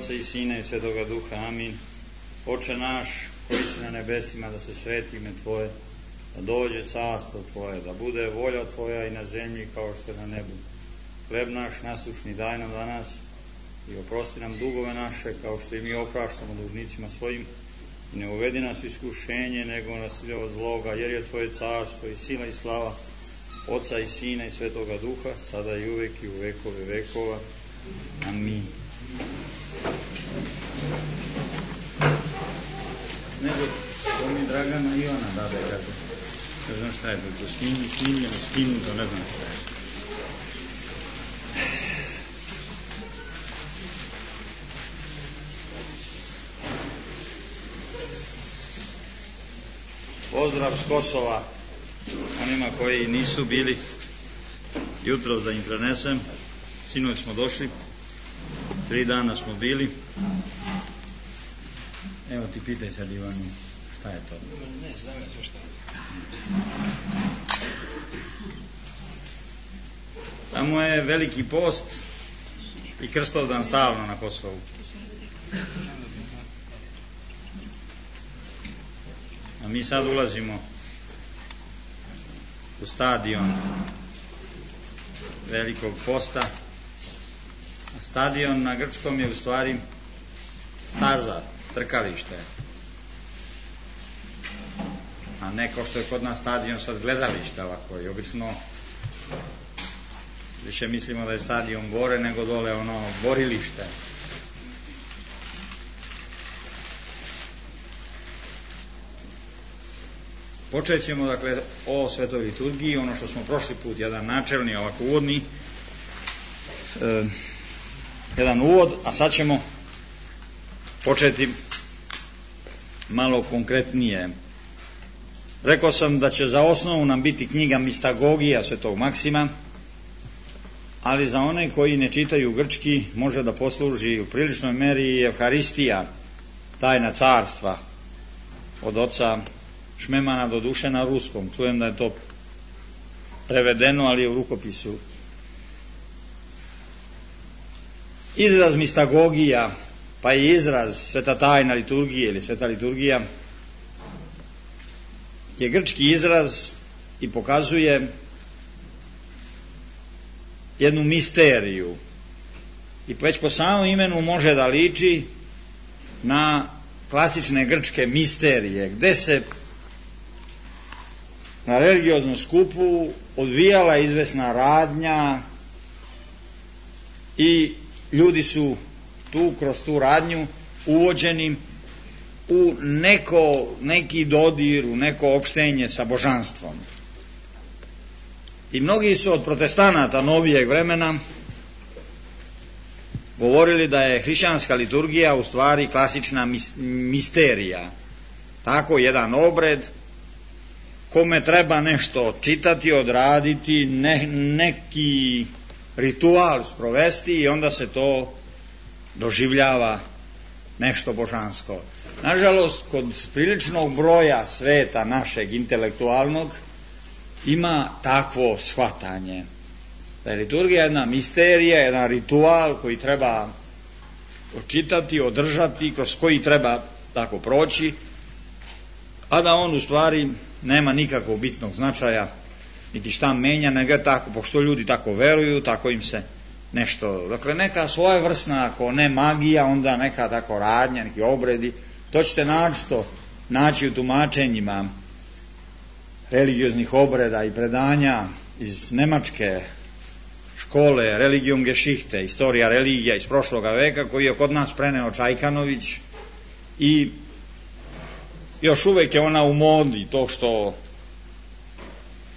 Oca i Sina i Svetoga Duha, amin. Oče naš, koji si na nebesima, da se sveti ime Tvoje, da dođe carstvo Tvoje, da bude volja Tvoja i na zemlji kao što je na nebu. Hleb naš nasušni daj nam danas i oprosti nam dugove naše kao što i mi opraštamo dužnicima svojim, i ne uvedi nas u iskušenje, nego nas od zloga, jer je Tvoje carstvo i sila i slava Oca i Sina i Svetoga Duha, sada i uvek i u vekove vekova. Amin. Nego, to mi Dragana i ona dade, kako, ne znam šta je to, skinuto, ne znam šta je. Pozdrav s Kosova onima koji nisu bili jutros, da im prenesem. Sinoć smo došli, 3 dana smo bili. Evo ti pitaj sad, Ivanu, šta je to? Ne znam ja šta. Tamo je veliki post i Krstovdan stalno na Kosovu. A mi sad ulazimo u stadion velikog posta. A stadion na grčkom je u stvari staza, trkalište. A ne kao što je kod nas stadion sad gledalište ovako. I obično više mislimo da je stadion gore nego dole ono borilište. Počet ćemo, dakle, o svetoj liturgiji, ono što smo prošli put, jedan načelni, ovako uvodni, jedan uvod, a sad ćemo početi malo konkretnije. Rekao sam da će za osnovu nam biti knjiga Mistagogija svetog Maksima, ali za one koji ne čitaju grčki može da posluži u priličnoj meri Evharistija, tajna carstva, od oca Šmemana, do duše na ruskom. Čujem da je to prevedeno, ali je u rukopisu. Izraz mistagogija, pa i izraz sveta tajna liturgije ili sveta liturgija, je grčki izraz i pokazuje jednu misteriju. I već po samom imenu može da liči na klasične grčke misterije, gde se na religioznom skupu odvijala izvesna radnja i ljudi su kroz tu radnju uvođeni u neki dodir, u neko opštenje sa božanstvom. I mnogi su od protestanata novijeg vremena govorili da je hrišćanska liturgija u stvari klasična misterija. Tako jedan obred kome treba nešto čitati, odraditi, neki ritual sprovesti i onda se to doživljava nešto božansko. Nažalost, kod priličnog broja sveta našeg intelektualnog ima takvo shvatanje. Da je liturgija jedna misterija, jedan ritual koji treba očitati, održati, kroz koji treba tako proći, a da on u stvari nema nikakvog bitnog značaja, niti šta menja, nego tako, pošto ljudi tako veruju, tako im se nešto, dakle neka svojevrsna, ako ne magija, onda neka tako radnja, neki obredi, to ćete naći u tumačenjima religioznih obreda i predanja iz nemačke škole Religium Geschichte, istorija religija iz prošloga veka, koji je kod nas preneo Čajkanović, i još uvek je ona u modi, to što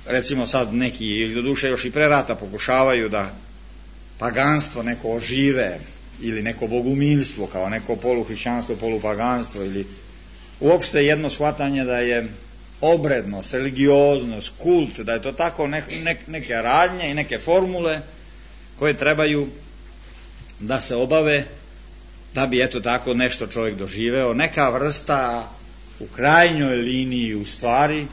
recimo sad neki, ili doduše još i pre rata, pokušavaju da paganstvo neko ožive, ili neko bogumilstvo kao neko poluhrišćanstvo, polupaganstvo, ili uopšte jedno shvatanje da je obrednost, religioznost, kult, da je to tako neke radnje i neke formule koje trebaju da se obave da bi eto tako nešto čovjek doživeo, neka vrsta u krajnjoj liniji u stvari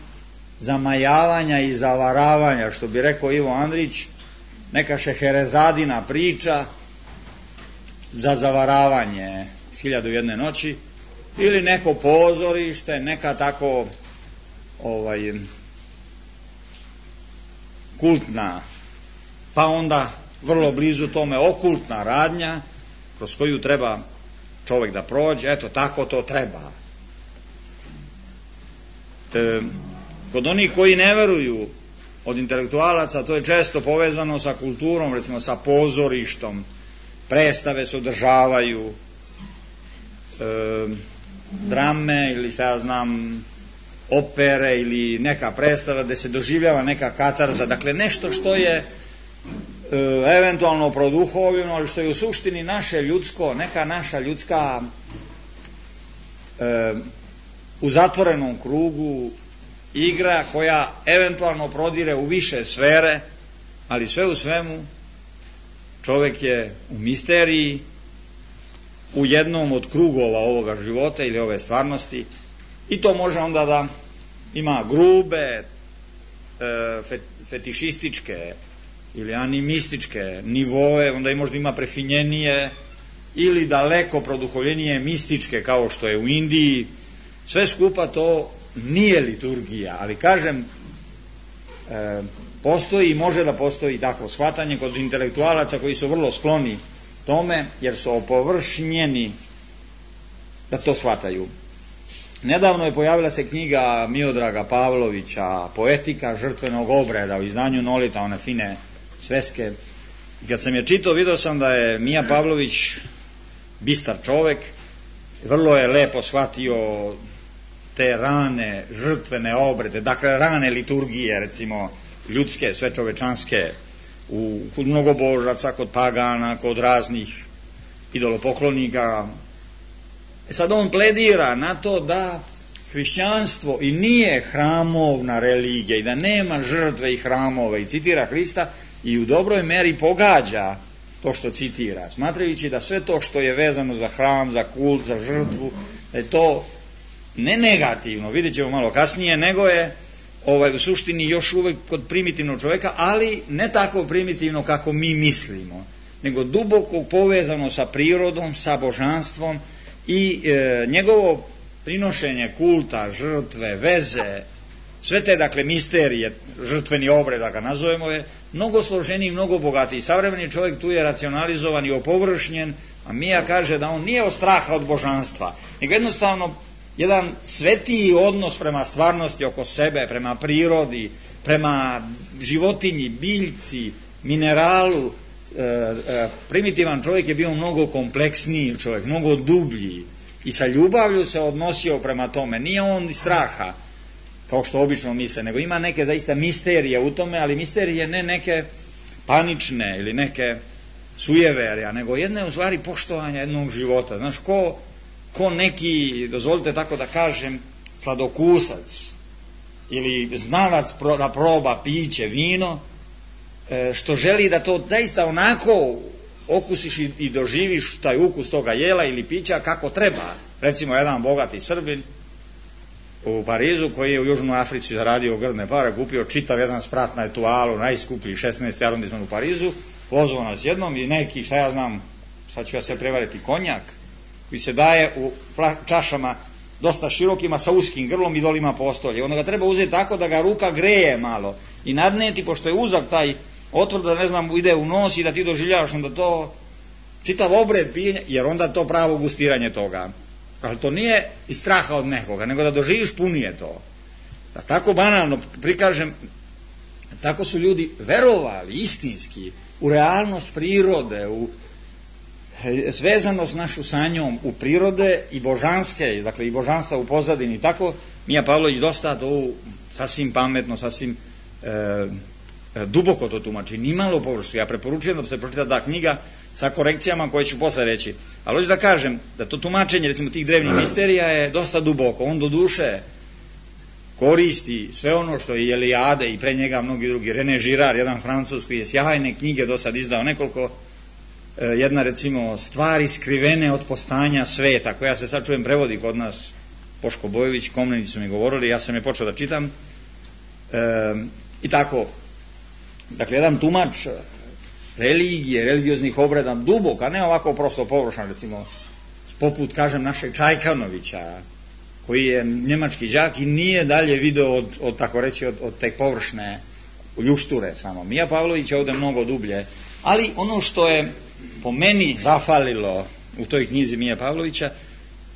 zamajavanja i zavaravanja, što bi rekao Ivo Andrić, neka šeherezadina priča za zavaravanje s 1001 noći, ili neko pozorište, neka tako kultna, pa onda vrlo blizu tome okultna radnja kroz koju treba čovjek da prođe. Eto, tako to treba. Kod onih koji ne veruju od intelektualaca, to je često povezano sa kulturom, recimo sa pozorištom, predstave se održavaju, drame ili šta ja znam, opere ili neka predstava gde se doživljava neka katarza, dakle nešto što je eventualno produhovljeno, ali što je u suštini naše ljudsko, neka naša ljudska u zatvorenom krugu igra koja eventualno prodire u više sfere, ali sve u svemu čovjek je u misteriji, u jednom od krugova ovoga života ili ove stvarnosti, i to može onda da ima grube, fetišističke ili animističke nivoe, onda i možda ima prefinjenije ili daleko produhovljenije mističke, kao što je u Indiji. Sve skupa to nije liturgija, ali kažem, postoji i može da postoji takvo shvatanje kod intelektualaca koji su vrlo skloni tome, jer su opovršnjeni da to shvataju. Nedavno je pojavila se knjiga Miodraga Pavlovića, Poetika žrtvenog obreda, u izdanju Nolita, one fine sveske. I kad sam je čitao, vidio sam da je Mija Pavlović bistar čovek, vrlo je lepo shvatio te rane žrtvene obrede, dakle rane liturgije, recimo ljudske, svečovečanske, kod mnogobožaca, kod pagana, kod raznih idolopoklonika. Sad on pledira na to da hrišćanstvo i nije hramovna religija i da nema žrtve i hramova, i citira Hrista i u dobroj meri pogađa to što citira, smatrajući da sve to što je vezano za hram, za kult, za žrtvu, da je to ne negativno, vidjet ćemo malo kasnije, nego je u suštini još uvek kod primitivnog čovjeka, ali ne tako primitivno kako mi mislimo, nego duboko povezano sa prirodom, sa božanstvom, i njegovo prinošenje kulta, žrtve, veze, sve te dakle misterije, žrtveni obred da ga nazovemo, je mnogo složeniji, mnogo bogatiji. Savremeni čovjek tu je racionalizovan i opovršnjen, a Mija kaže da on nije od straha od božanstva, nego jednostavno jedan svetiji odnos prema stvarnosti oko sebe, prema prirodi, prema životinji, biljci, mineralu. Primitivan čovjek je bio mnogo kompleksniji čovjek, mnogo dublji i sa ljubavlju se odnosio prema tome. Nije on iz straha, kao što obično misle, nego ima neke zaista misterije u tome, ali misterije ne neke panične ili neke sujeverja, nego jedne u stvari poštovanja jednog života. Znaš, ko neki, dozvolite tako da kažem, sladokusac ili znalac da proba piće, vino, što želi da to zaista onako okusiš i doživiš taj ukus toga jela ili pića kako treba. Recimo jedan bogati Srbin u Parizu, koji je u Južnoj Africi zaradio grdne pare, kupio čitav jedan sprat na Etualu, najskuplji 16. arondisman u Parizu, pozvao nas jednom i neki, šta ja znam, sad ću ja se prevariti, konjak koji se daje u čašama dosta širokima sa uskim grlom i dolima postolje. Onda ga treba uzeti tako da ga ruka greje malo i nadneti, pošto je uzak taj otvor, da ne znam, ide u nos i da ti doživljavaš onda to čitav obred pijenja, jer onda to pravo gustiranje toga. Ali to nije iz straha od nekoga, nego da doživiš punije to. Da tako banalno prikažem, tako su ljudi verovali istinski u realnost prirode, u svezanost našu sa njom, u prirode i božanske, dakle i božanstva u pozadini. Tako Mija Pavlović dosta to sasvim pametno, sasvim duboko to tumači, nimalo površno. Ja preporučujem da se pročita ta knjiga sa korekcijama koje ću posle reći. Ali hoću da kažem da to tumačenje, recimo, tih drevnih misterija je dosta duboko. On do duše koristi sve ono što je Elijade i pre njega mnogi drugi. René Girard, jedan Francuz koji je sjajne knjige do sad izdao nekoliko. Jedna, recimo, Stvari skrivene od postanja sveta, koja se sad čujem prevodi kod nas, Boško Bojović, Komnenici su mi govorili, ja sam je počeo da čitam. I tako, dakle, jedan tumač religije, religioznih obreda dubok, a ne ovako prosto površan, recimo poput, kažem, našeg Čajkanovića, koji je njemački đak i nije dalje video od tako reći, od te površne ljušture samo. Mija Pavlović je ovdje mnogo dublje, ali ono što je po meni zafalilo u toj knjizi Mije Pavlovića,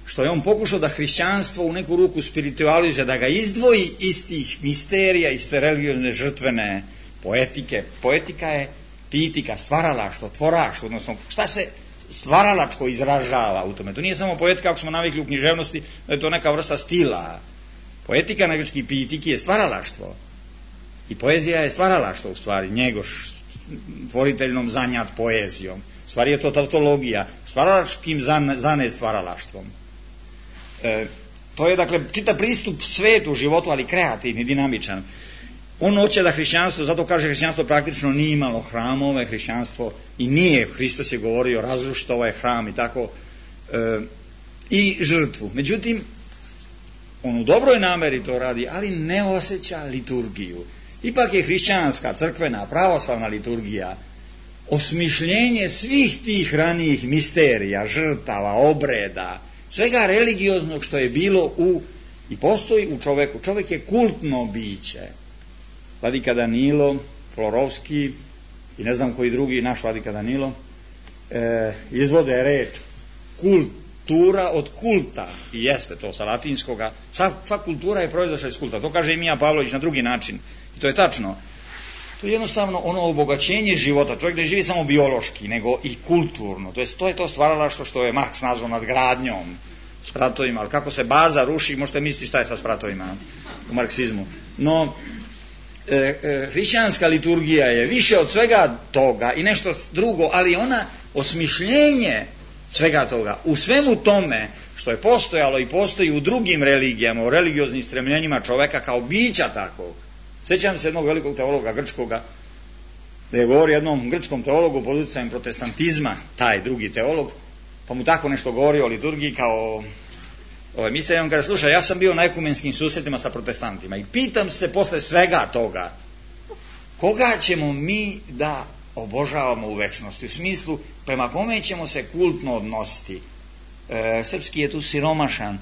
što je on pokušao da hrišćanstvo u neku ruku spiritualizuje, da ga izdvoji iz tih misterija, iz te religiozne žrtvene poetike. Poetika je pitika, stvaralaštvo, tvoraštvo, odnosno šta se stvaralačko izražava u tome. To nije samo poetika, ako smo navikli u književnosti, da je to neka vrsta stila. Poetika na grčki pitiki je stvaralaštvo. I poezija je stvaralaštvo u stvari, Njegoš, tvoriteljnom zanjat poezijom. U stvari je to tautologija, stvaralačkim zanet stvaralaštvom. To je, dakle, čitav pristup svetu, životu, ali kreativni, dinamičan. On hoće da hrišćanstvo, zato kaže hrišćanstvo praktično nije imalo hramove, hrišćanstvo i nije, Hristos je govorio, razrušite ovaj hram i tako, i žrtvu. Međutim, on u dobroj nameri to radi, ali ne osjeća liturgiju. Ipak je hrišćanska, crkvena, pravoslavna liturgija osmišljenje svih tih ranijih misterija, žrtava, obreda, svega religioznog što je bilo i postoji u čoveku. Čovek je kultno biće. Vladika Danilo, Florovski i ne znam koji drugi, naš Vladika Danilo, izvode reč kultura od kulta, i jeste to sa latinskoga. Sva kultura je proizašla iz kulta. To kaže i Mija Pavlović na drugi način. I to je tačno. To je jednostavno ono obogaćenje života. Čovjek ne živi samo biološki, nego i kulturno. To je to stvaralaštvo što je Marks nazvao nadgradnjom, spratovima. Ali kako se baza ruši, možete misliti šta je sa spratovima u marksizmu. No, hrišćanska liturgija je više od svega toga i nešto drugo, ali ona osmišljenje svega toga. U svemu tome što je postojalo i postoji u drugim religijama, u religioznim stremljenjima čoveka kao bića takvog. Sjećam se jednog velikog teologa grčkoga, da je govorio jednom grčkom teologu pod utjecajem protestantizma, taj drugi teolog, pa mu tako nešto govorio o liturgiji kao mister, on kaže, slušaj, ja sam bio na ekumenskim susretima sa protestantima i pitam se posle svega toga, koga ćemo mi da obožavamo u večnosti, u smislu prema kome ćemo se kultno odnositi. Srpski je tu siromašan,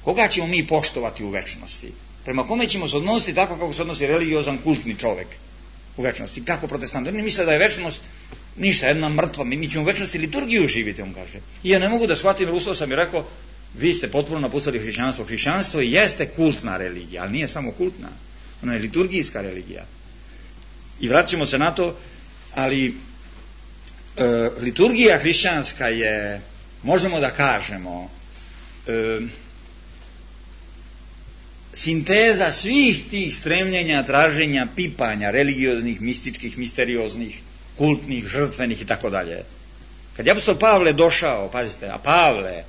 koga ćemo mi poštovati u večnosti, prema kome ćemo se odnositi tako kako se odnosi religiozan kultni čovek u večnosti, kako protestant. Oni misle da je večnost ništa, jedna mrtva, mi ćemo u večnosti liturgiju živjeti, on kaže. I ja ne mogu da shvatim, jer ustao sam i rekao, vi ste potpuno napustili hrišćanstvo. Hrišćanstvo jeste kultna religija, ali nije samo kultna, ona je liturgijska religija. I vraćamo se na to, ali liturgija hrišćanska je, možemo da kažemo, sinteza svih tih stremljenja, traženja, pipanja, religioznih, mističkih, misterioznih, kultnih, žrtvenih i tako dalje. Kad je apostol Pavle došao, pazite, a Pavle,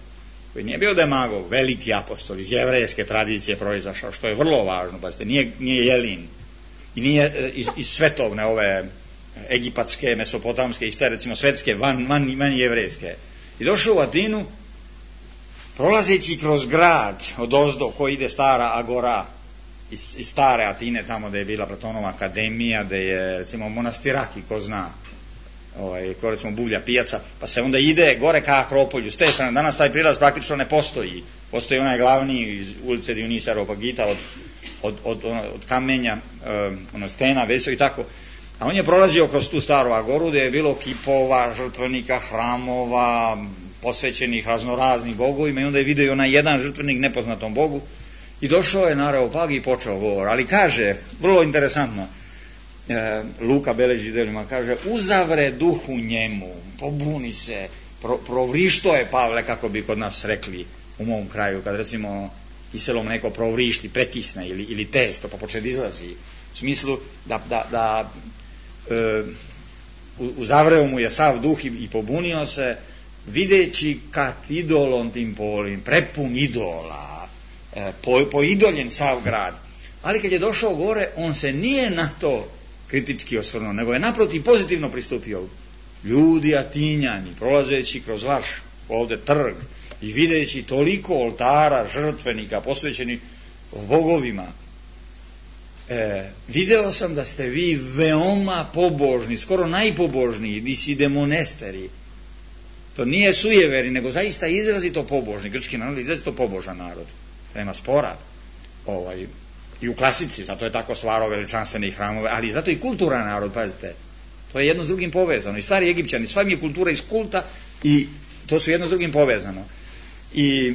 koji nije bio demagog, veliki apostol, iz jevrejske tradicije proizašao, što je vrlo važno, pazite, nije Jelin, i nije iz svetovne ove egipatske, mesopotamske, iste recimo svetske, van jevrejske. I došao u Atinu, prolazeći kroz grad od ozdo, koji ide stara agora, iz stare Atine, tamo da je bila Platonova akademija, da je recimo monastiraki, ko zna, ko recimo Buvlja pijaca, pa se onda ide gore ka Akropolju, s te strane. Danas taj prilaz praktično ne postoji. Postoji onaj glavni iz ulice Dionisa Areopagita od kamenja, stena, veso i tako. A on je prolazio kroz tu staru agoru gde je bilo kipova, žrtvenika, hramova, posvećenih raznoraznih bogovima, i onda je vidio onaj jedan žrtvenik nepoznatom bogu i došao je na Areopag i počeo govor. Ali kaže, vrlo interesantno, Luka beleži delima, kaže, uzavre duhu njemu, pobuni se, provrišto je Pavle, kako bi kod nas rekli u mom kraju, kad recimo kiselom neko provrišti, prekisne ili testo, pa počne da izlazi, u smislu da uzavreo mu je sav duh i pobunio se, videći kad idolom tim polim, prepun idola, poidoljen sav grad. Ali kad je došao gore, on se nije na to kritički osvrnuo, nego je naprotiv pozitivno pristupio. Ljudi Atinjani, prolazeći kroz vaš ovde trg i videći toliko oltara, žrtvenika posvećenih bogovima, video sam da ste vi veoma pobožni, skoro najpobožniji, vi si demonesteri. To nije sujeveri, nego zaista izrazito pobožni. Grčki narod je izrazito pobožan narod. Nema spora. I u klasici, zato je tako stvarao veličanstvene i hramove, ali zato i kulturan narod, pazite. To je jedno s drugim povezano. I stari Egipćani, sva mi je kultura iz kulta i to su jedno s drugim povezano. I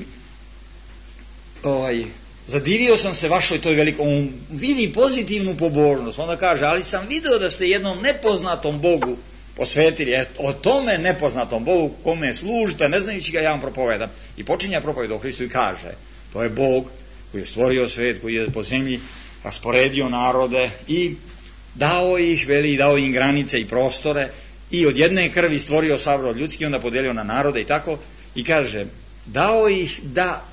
zadivio sam se vašoj toj velikoj, on vidi pozitivnu pobožnost, onda kaže, ali sam video da ste jednom nepoznatom Bogu posvetili, o tome nepoznatom Bogu kome služite, ne znajući ga ja vam propovedam. I počinja propoved o Hristu i kaže, to je Bog koji je stvorio svet, koji je po zemlji rasporedio narode i dao ih, dao im granice i prostore i od jedne krvi stvorio sav rod ljudski, onda podelio na narode i tako, i kaže, dao ih da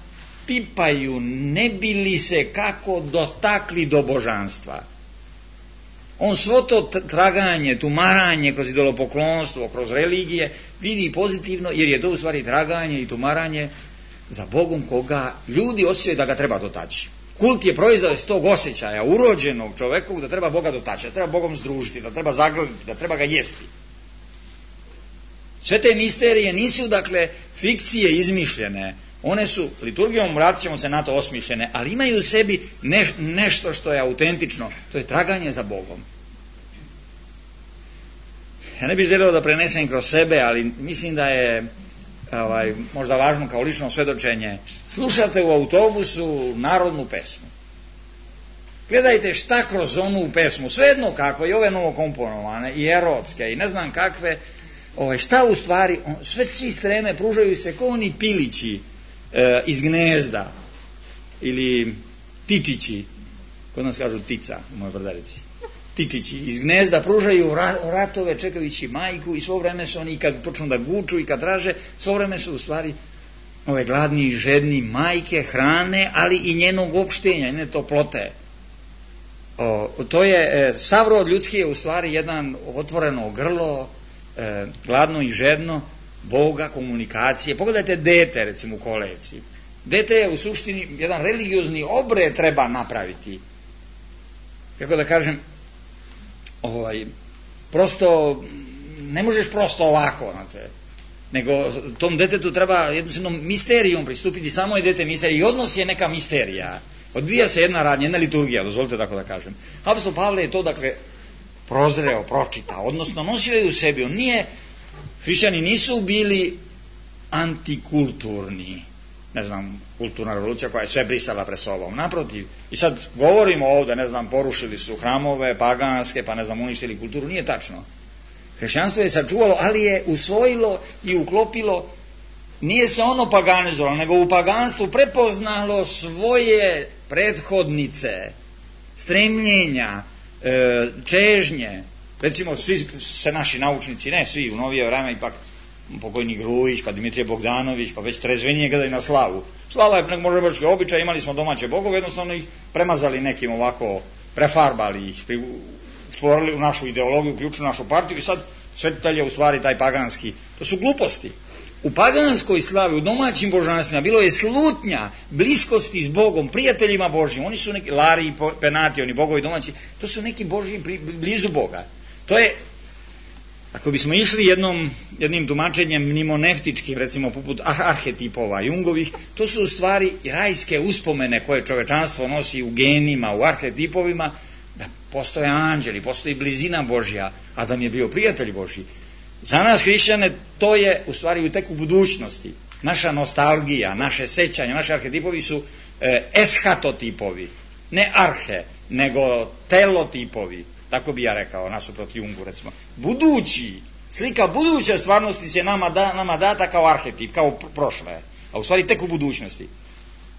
pipaju, ne bi li se kako dotakli do božanstva. On svo to traganje, tumaranje kroz idolopoklonstvo, kroz religije vidi pozitivno, jer je to u stvari traganje i tumaranje za Bogom koga ljudi osjećaju da ga treba dotaći. Kult je proizvod iz tog osjećaja urođenog čovekovog da treba Boga dotaći, da treba Bogom združiti, da treba zagledati, da treba ga jesti. Sve te misterije nisu dakle fikcije izmišljene, one su liturgijom, vratit ćemo se na to, osmišljene, ali imaju u sebi nešto što je autentično, to je traganje za Bogom. Ja ne bih želeo da prenesem kroz sebe, ali mislim da je možda važno kao lično svedočenje. Slušate u autobusu narodnu pesmu. Gledajte šta kroz onu pesmu, svejedno kako, i ove novokomponovane, i erotske, i ne znam kakve, šta u stvari, sve svi streme pružaju se kao oni pilići iz gnezda, ili tičići, kod nas kažu tica u mojoj Brdarici, tičići iz gnezda pružaju ratove čekajući majku i svo vreme su oni, kad počnu da guču i kad traže, svo vreme su u stvari ove gladni i žedni majke hrane, ali i njenog opštenja, njene toplote. To je, sav rod ljudski je u stvari jedan otvoreno grlo, gladno i žedno Boga, komunikacije. Pogledajte dete recimo u kolevci. Dete je u suštini jedan religiozni obred treba napraviti. Kako da kažem, prosto ne možeš prosto ovako, znate, nego tom detetu treba jednostavno misterijom pristupiti, samo je dete misterija i odnos je neka misterija. Odvija se jedna radnja, jedna liturgija, dozvolite tako da kažem. Apostol Pavle je to dakle prozreo, pročitao, odnosno nosio je u sebi. On nije, hrišćani nisu bili antikulturni, ne znam, kulturna revolucija koja je sve brisala pred sobom. Naprotiv, i sad govorimo ovde, ne znam, porušili su hramove, paganske, pa ne znam, uništili kulturu, nije tačno. Hrišćanstvo je sačuvalo, ali je usvojilo i uklopilo, nije se ono paganizovalo, nego u paganstvu prepoznalo svoje prethodnice, stremljenja, čežnje. Recimo, svi se naši naučnici, ne svi, u novije vreme ipak pokojni Grujić, pa Dimitrije Bogdanović, pa već trezvenije gledaju na slavu. Slava je možda boški običaj, imali smo domaće bogove, jednostavno ih premazali nekim ovako, prefarbali ih, stvorili u našu ideologiju, uključili našu partiju i sad svetitelj je u stvari taj paganski. To su gluposti. U paganskoj slavi, u domaćim božanstvima bilo je slutnja, bliskosti s Bogom, prijateljima Božjim. Oni su neki Lari i Penati, oni bogovi domaći, to su neki Božji blizu Boga. To je, ako bismo išli jednim tumačenjem mnimoneftičkim, recimo poput arhetipova Jungovih, to su u stvari rajske uspomene koje čovečanstvo nosi u genima, u arhetipovima, da postoje anđeli, postoji blizina Božja, Adam je bio prijatelj Božji. Za nas hrišćane to je u stvari tek u budućnosti. Naša nostalgija, naše sećanje, naši arhetipovi su eshatotipovi, ne arhe, nego telotipovi. Tako bi ja rekao, nasuprot Jungu, recimo. Budući, slika buduće stvarnosti se nama data kao arhetip, kao prošle, a u stvari tek u budućnosti.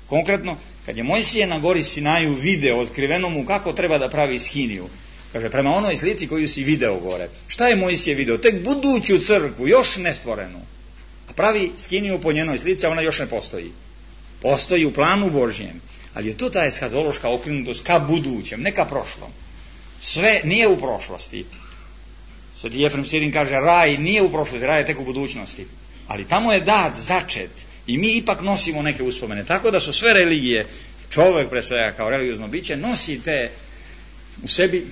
Konkretno, kad je Mojsije na gori Sinaju video otkriveno mu kako treba da pravi skiniju, kaže, prema onoj slici koju si video gore. Šta je Mojsije video? Tek buduću crkvu, još nestvorenu. A pravi skiniju po njenoj slici, a ona još ne postoji. Postoji u planu Božjem. Ali je to ta eskatološka okrenutost ka budućem, ne ka prošlom. Sve nije u prošlosti. Sveti Jefrem Sirin kaže, raj nije u prošlosti, raj je tek u budućnosti. Ali tamo je dat, začet. I mi ipak nosimo neke uspomene. Tako da su sve religije, čovek pre svega kao religiozno biće, nosi te u sebi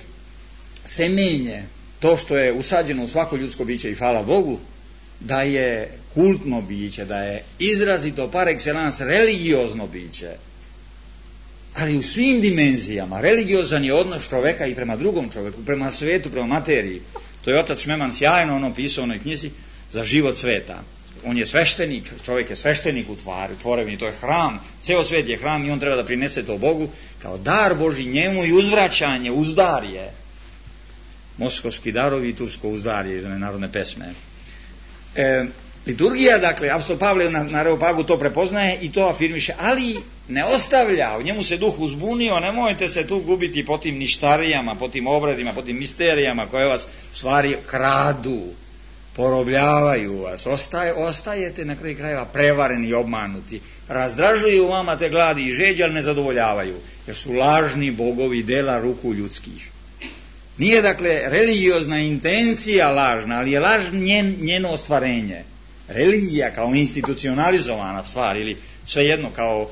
semenje, to što je usađeno u svako ljudsko biće, i hvala Bogu da je kultno biće, da je izrazito par excellence religiozno biće, ali u svim dimenzijama. Religiozan je odnos čoveka i prema drugom čoveku, prema svetu, prema materiji. To je otac Šmeman sjajno ono pisao u onoj knjizi za život sveta. On je sveštenik, čovjek je sveštenik u tvorevini, to je hram, ceo svet je hram i on treba da prinese to Bogu kao dar Božji njemu i uzvraćanje, uzdarje. Moskovski darovi i tursko uzdarje iz narodne pesme. Liturgija, dakle, apostol Pavle na Areopagu to prepoznaje i to afirmiše, ali ne ostavlja, u njemu se duh uzbunio, nemojte se tu gubiti po tim ništarijama, po tim obredima, po tim misterijama koje vas u stvari kradu, porobljavaju vas, ostajete na kraju krajeva prevareni i obmanuti, razdražuju vama te gladi i žeđe, ali ne zadovoljavaju, jer su lažni bogovi dela ruku ljudskih. Nije, dakle, religiozna intencija lažna, ali je laž njeno ostvarenje. Religija kao institucionalizovana stvar ili svejedno kao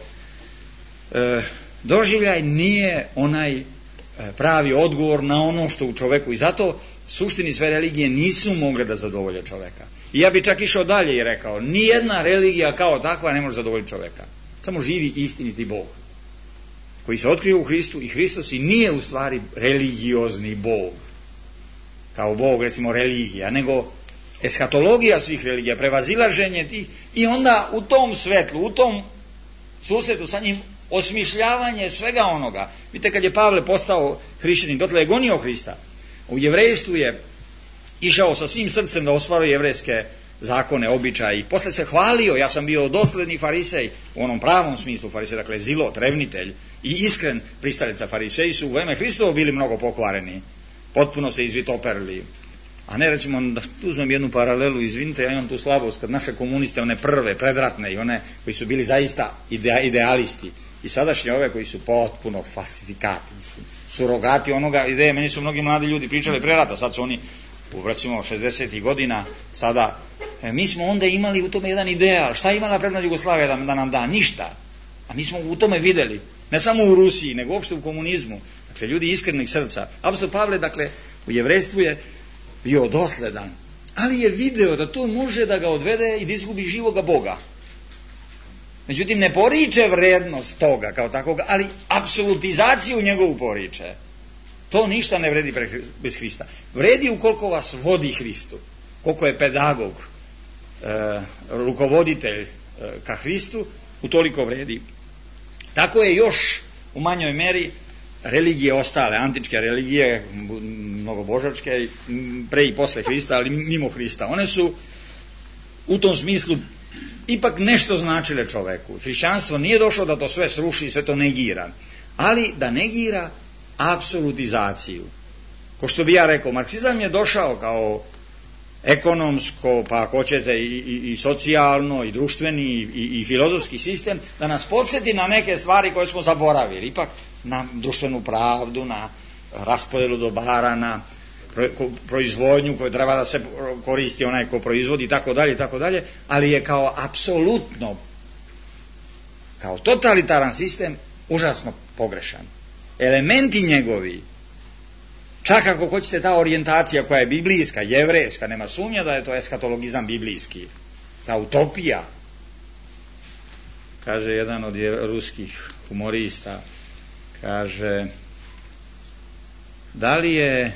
doživljaj nije onaj pravi odgovor na ono što u čoveku, i zato suštini sve religije nisu mogle da zadovolje čoveka. I ja bi čak išao dalje i rekao, nijedna religija kao takva ne može zadovoljiti čoveka. Samo živi istiniti Bog koji se otkrio u Hristu, i Hristos i nije u stvari religiozni Bog kao Bog, recimo, religija, nego eskatologija svih religija, prevazilaženje tih, i onda u tom svetlu, u tom susretu sa njim, osmišljavanje svega onoga. Vidite, kad je Pavle postao hrišćanin, dotle je gonio Hrista. U jevrejstvu je išao sa svim srcem da ostvaruje jevrejske zakone, običaje, i posle se hvalio, ja sam bio dosledni farisej, u onom pravom smislu farisej, dakle zilot, revnitelj i iskren pristalica. Fariseji su u vreme Hristovo bili mnogo pokvareni, potpuno se izvitoperili. A ne, recimo, da uzmem jednu paralelu, izvinite, ja imam tu slabost, kad naše komuniste, one prve, predratne, i one koji su bili zaista idealisti, i sadašnje ove koji su potpuno falsifikati, surogati onoga ideje. Meni su mnogi mladi ljudi pričali pre rata, sad su oni u, recimo, 60. godina, sada, mi smo onda imali u tome jedan ideal, šta je imala predna Jugoslavija da nam da? Ništa. A mi smo u tome videli, ne samo u Rusiji, nego uopšte u komunizmu, dakle, ljudi iskrenih srca. Apostol Pavle, dakle, u jevrejstvu je bio dosledan, ali je video da to može da ga odvede i da izgubi živoga Boga. Međutim, ne poriče vrednost toga kao takoga, ali apsolutizaciju njegovu poriče. To ništa ne vredi bez Hrista. Vredi ukoliko vas vodi Hristu, koliko je pedagog, rukovoditelj ka Hristu, utoliko vredi. Tako je još u manjoj meri religije ostale, antičke religije, mnogobožačke, pre i posle Hrista, ali mimo Hrista. One su u tom smislu ipak nešto značile čoveku. Hrišćanstvo nije došlo da to sve sruši, sve to negira, ali da negira apsolutizaciju. Ko što bi ja rekao, marksizam je došao kao ekonomsko, pa ako hoćete i socijalno, i društveni, i filozofski sistem, da nas podsjeti na neke stvari koje smo zaboravili, ipak na društvenu pravdu, na raspodelu dobara, na proizvodnju koju treba da se koristi onaj ko proizvodi, tako dalje, ali je kao apsolutno, kao totalitaran sistem, užasno pogrešan. Elementi njegovi, čak ako hoćete ta orijentacija koja je biblijska, jevrejska, nema sumnja da je to eskatologizam biblijski, ta utopija, kaže jedan od ruskih humorista, kaže, da li je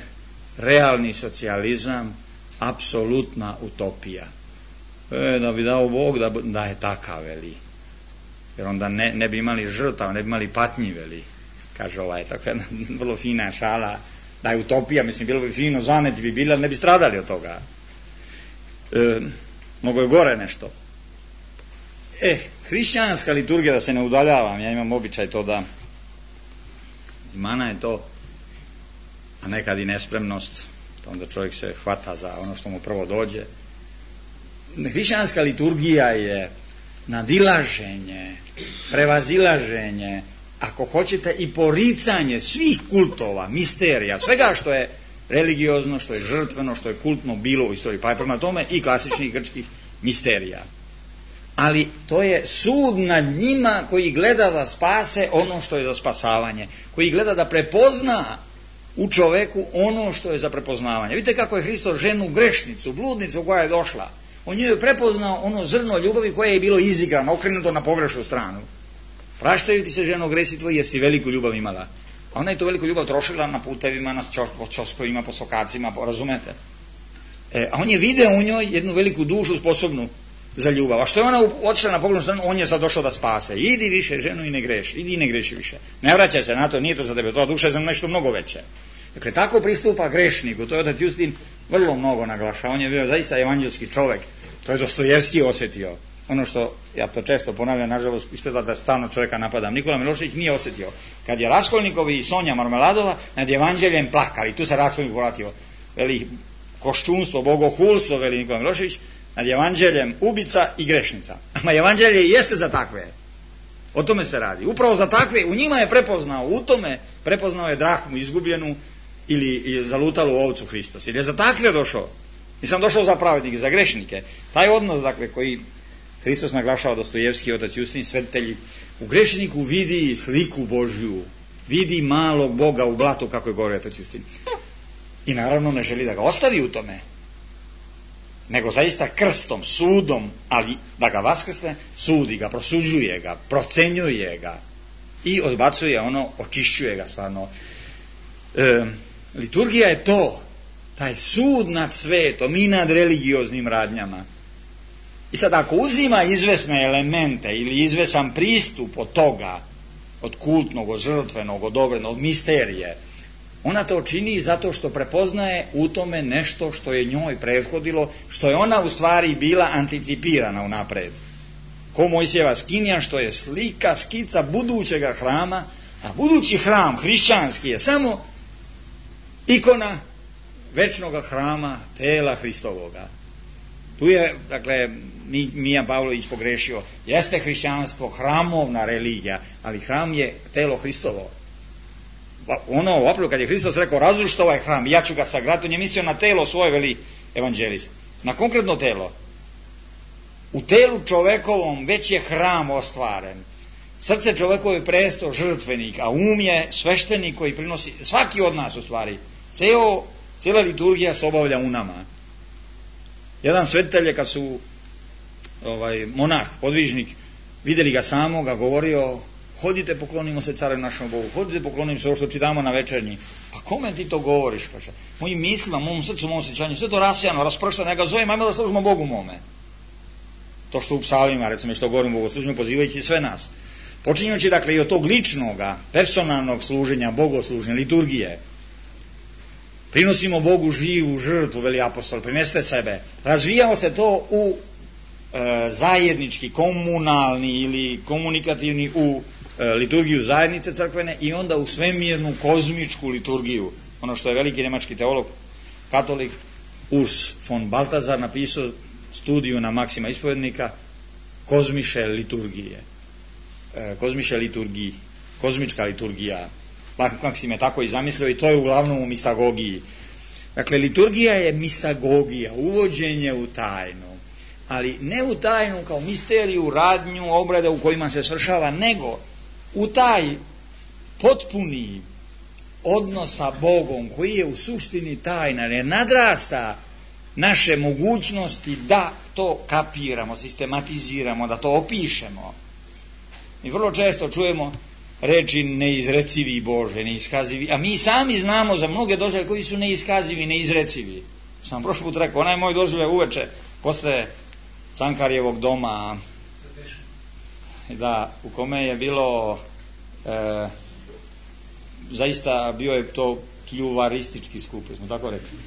realni socijalizam apsolutna utopija? Da bi dao Bog da je takav, veli, jer onda ne bi imali žrtav, ne bi imali patnji, veli, kaže ovaj, tako jedna vrlo fina šala, da je utopija, mislim, bilo bi fino, zaneti bi bili, ali ne bi stradali od toga. Mnogo je gore nešto. Hrišćanska liturgija, da se ne udaljavam, ja imam običaj to da, mana je to, a nekad i nespremnost, onda čovjek se hvata za ono što mu prvo dođe. Hrišćanska liturgija je nadilaženje, prevazilaženje, ako hoćete i poricanje svih kultova, misterija, svega što je religiozno, što je žrtveno, što je kultno bilo u istoriji, pa je prema tome i klasičnih grčkih misterija. Ali to je sud nad njima koji gleda da spase ono što je za spasavanje, koji gleda da prepozna u čoveku ono što je za prepoznavanje. Vidite kako je Hristos ženu grešnicu, bludnicu koja je došla, on njoj je prepoznao ono zrno ljubavi koje je bilo izigrano, okrenuto na pogrešnu stranu. Praštaju ti se, ženo, gresi tvoji, jer si veliku ljubav imala. A ona je to veliku ljubav trošila na putevima, na čoskovima, po sokacima, razumete? A on je video u njoj jednu veliku dušu sposobnu za ljubav. A što je ona otišla na pogrešnu stranu, on je sad došao da spase. Idi više, ženo, i ne greši. Idi i ne greši više. Ne vraćaj se na to, nije to za tebe. To duša je za nešto mnogo veće. Dakle, tako pristupa grešniku. To je otac Justin vrlo mnogo naglašava. On je bio zaista evanđelski čovjek. To je Dostojevski osjetio. Ono što, ja to često ponavljam, nažalost, ispada da stalno čovjeka napadam. Nikola Milošević nije osjetio. Kad je Raskolnikov i Sonja Marmeladova nad evanđeljem plakali, tu se Raskolnikov vratio. Veli koščunstvo, bogohulstvo, veli Nikola Milošević, nad evanđeljem ubica i grešnica. A evanđelje jeste za takve. O tome se radi. Upravo za takve, u njima je prepoznao, u tome prepoznao je drahmu izgubljenu ili zalutalu ovcu Hristos. Ili je za takve došao. Nisam došao za pravednike, za grešnike. Taj odnos, dakle, koji Hristos naglašava, Dostojevski, otac Justin, svetitelji, u grešniku vidi sliku Božju, vidi malog Boga u blatu, kako je govorio otac Justin. I naravno ne želi da ga ostavi u tome, nego zaista krstom, sudom, ali da ga vaskrsne, sudi ga, prosuđuje ga, procenjuje ga i odbacuje ono, očišćuje ga stvarno. Liturgija je to, taj sud nad svetom i nad religioznim radnjama. I sad ako uzima izvesne elemente ili izvesan pristup od toga, od kultnog, od žrtvenog, od obrednog, od misterije, ona to čini zato što prepoznaje u tome nešto što je njoj prethodilo, što je ona u stvari bila anticipirana unapred. Ko Mojsijeva skinja, što je slika, skica budućega hrama, a budući hram, hrišćanski, je samo ikona večnoga hrama, tela Hristovoga. Tu je, dakle, Mija Pavlović pogrešio. Jeste hrišćanstvo hramovna religija, ali hram je telo Hristovo. Ono, upravo kad je Hristos rekao razrušite ovaj hram, ja ću ga sagraditi, on je mislio na telo svoje, veli evanđelist. Na konkretno telo. U telu čovekovom već je hram ostvaren. Srce čovekovo je presto žrtvenik, a um je sveštenik koji prinosi, svaki od nas u stvari. Cijela liturgija se obavlja u nama. Jedan svetitelj je, kad su monah, podvižnik, vidjeli ga samoga, govorio: hodite, poklonimo se caru našom Bogu, hodite, poklonimo se ovo što čitamo na večernji. Pa kome ti to govoriš, kaže? Mojim mislima, mom srcu, mom osjećanju, sve to rasijano, raspršteno, ja ga zovem, ajmo da služimo Bogu mome. To što u psalmima, recimo, što govorimo Bogu, služimo pozivajući sve nas. Počinjući, dakle, i od tog ličnoga, personalnog služenja, bogosluženja, liturgije. Prinosimo Bogu živu žrtvu, veli apostol, prinesite sebe. Razvijao se to u zajednički, komunalni ili komunikativni u liturgiju zajednice crkvene i onda u svemirnu kozmičku liturgiju. Ono što je veliki nemački teolog, katolik Urs von Balthasar napisao studiju na Maksima ispovednika kozmiše liturgije. Kozmiše liturgiji, kozmička liturgija. Maksim je tako i zamislio i to je uglavnom u mistagogiji. Dakle, liturgija je mistagogija, uvođenje u tajnu. Ali ne u tajnu kao misteriju, radnju, obrede u kojima se svršava, nego u taj potpuni odnos sa Bogom koji je u suštini tajna, jer nadrasta naše mogućnosti da to kapiramo, sistematiziramo, da to opišemo. Mi vrlo često čujemo reči neizrecivi Bože, neiskazivi, a mi sami znamo za mnoge doživljaje koji su neiskazivi, neizrecivi. Sam prošli put rekao, onaj moj doživljaj uveče posle Cankarjevog doma, da, u kome je bilo zaista bio je to pljuvaristički skup, smo tako rekli.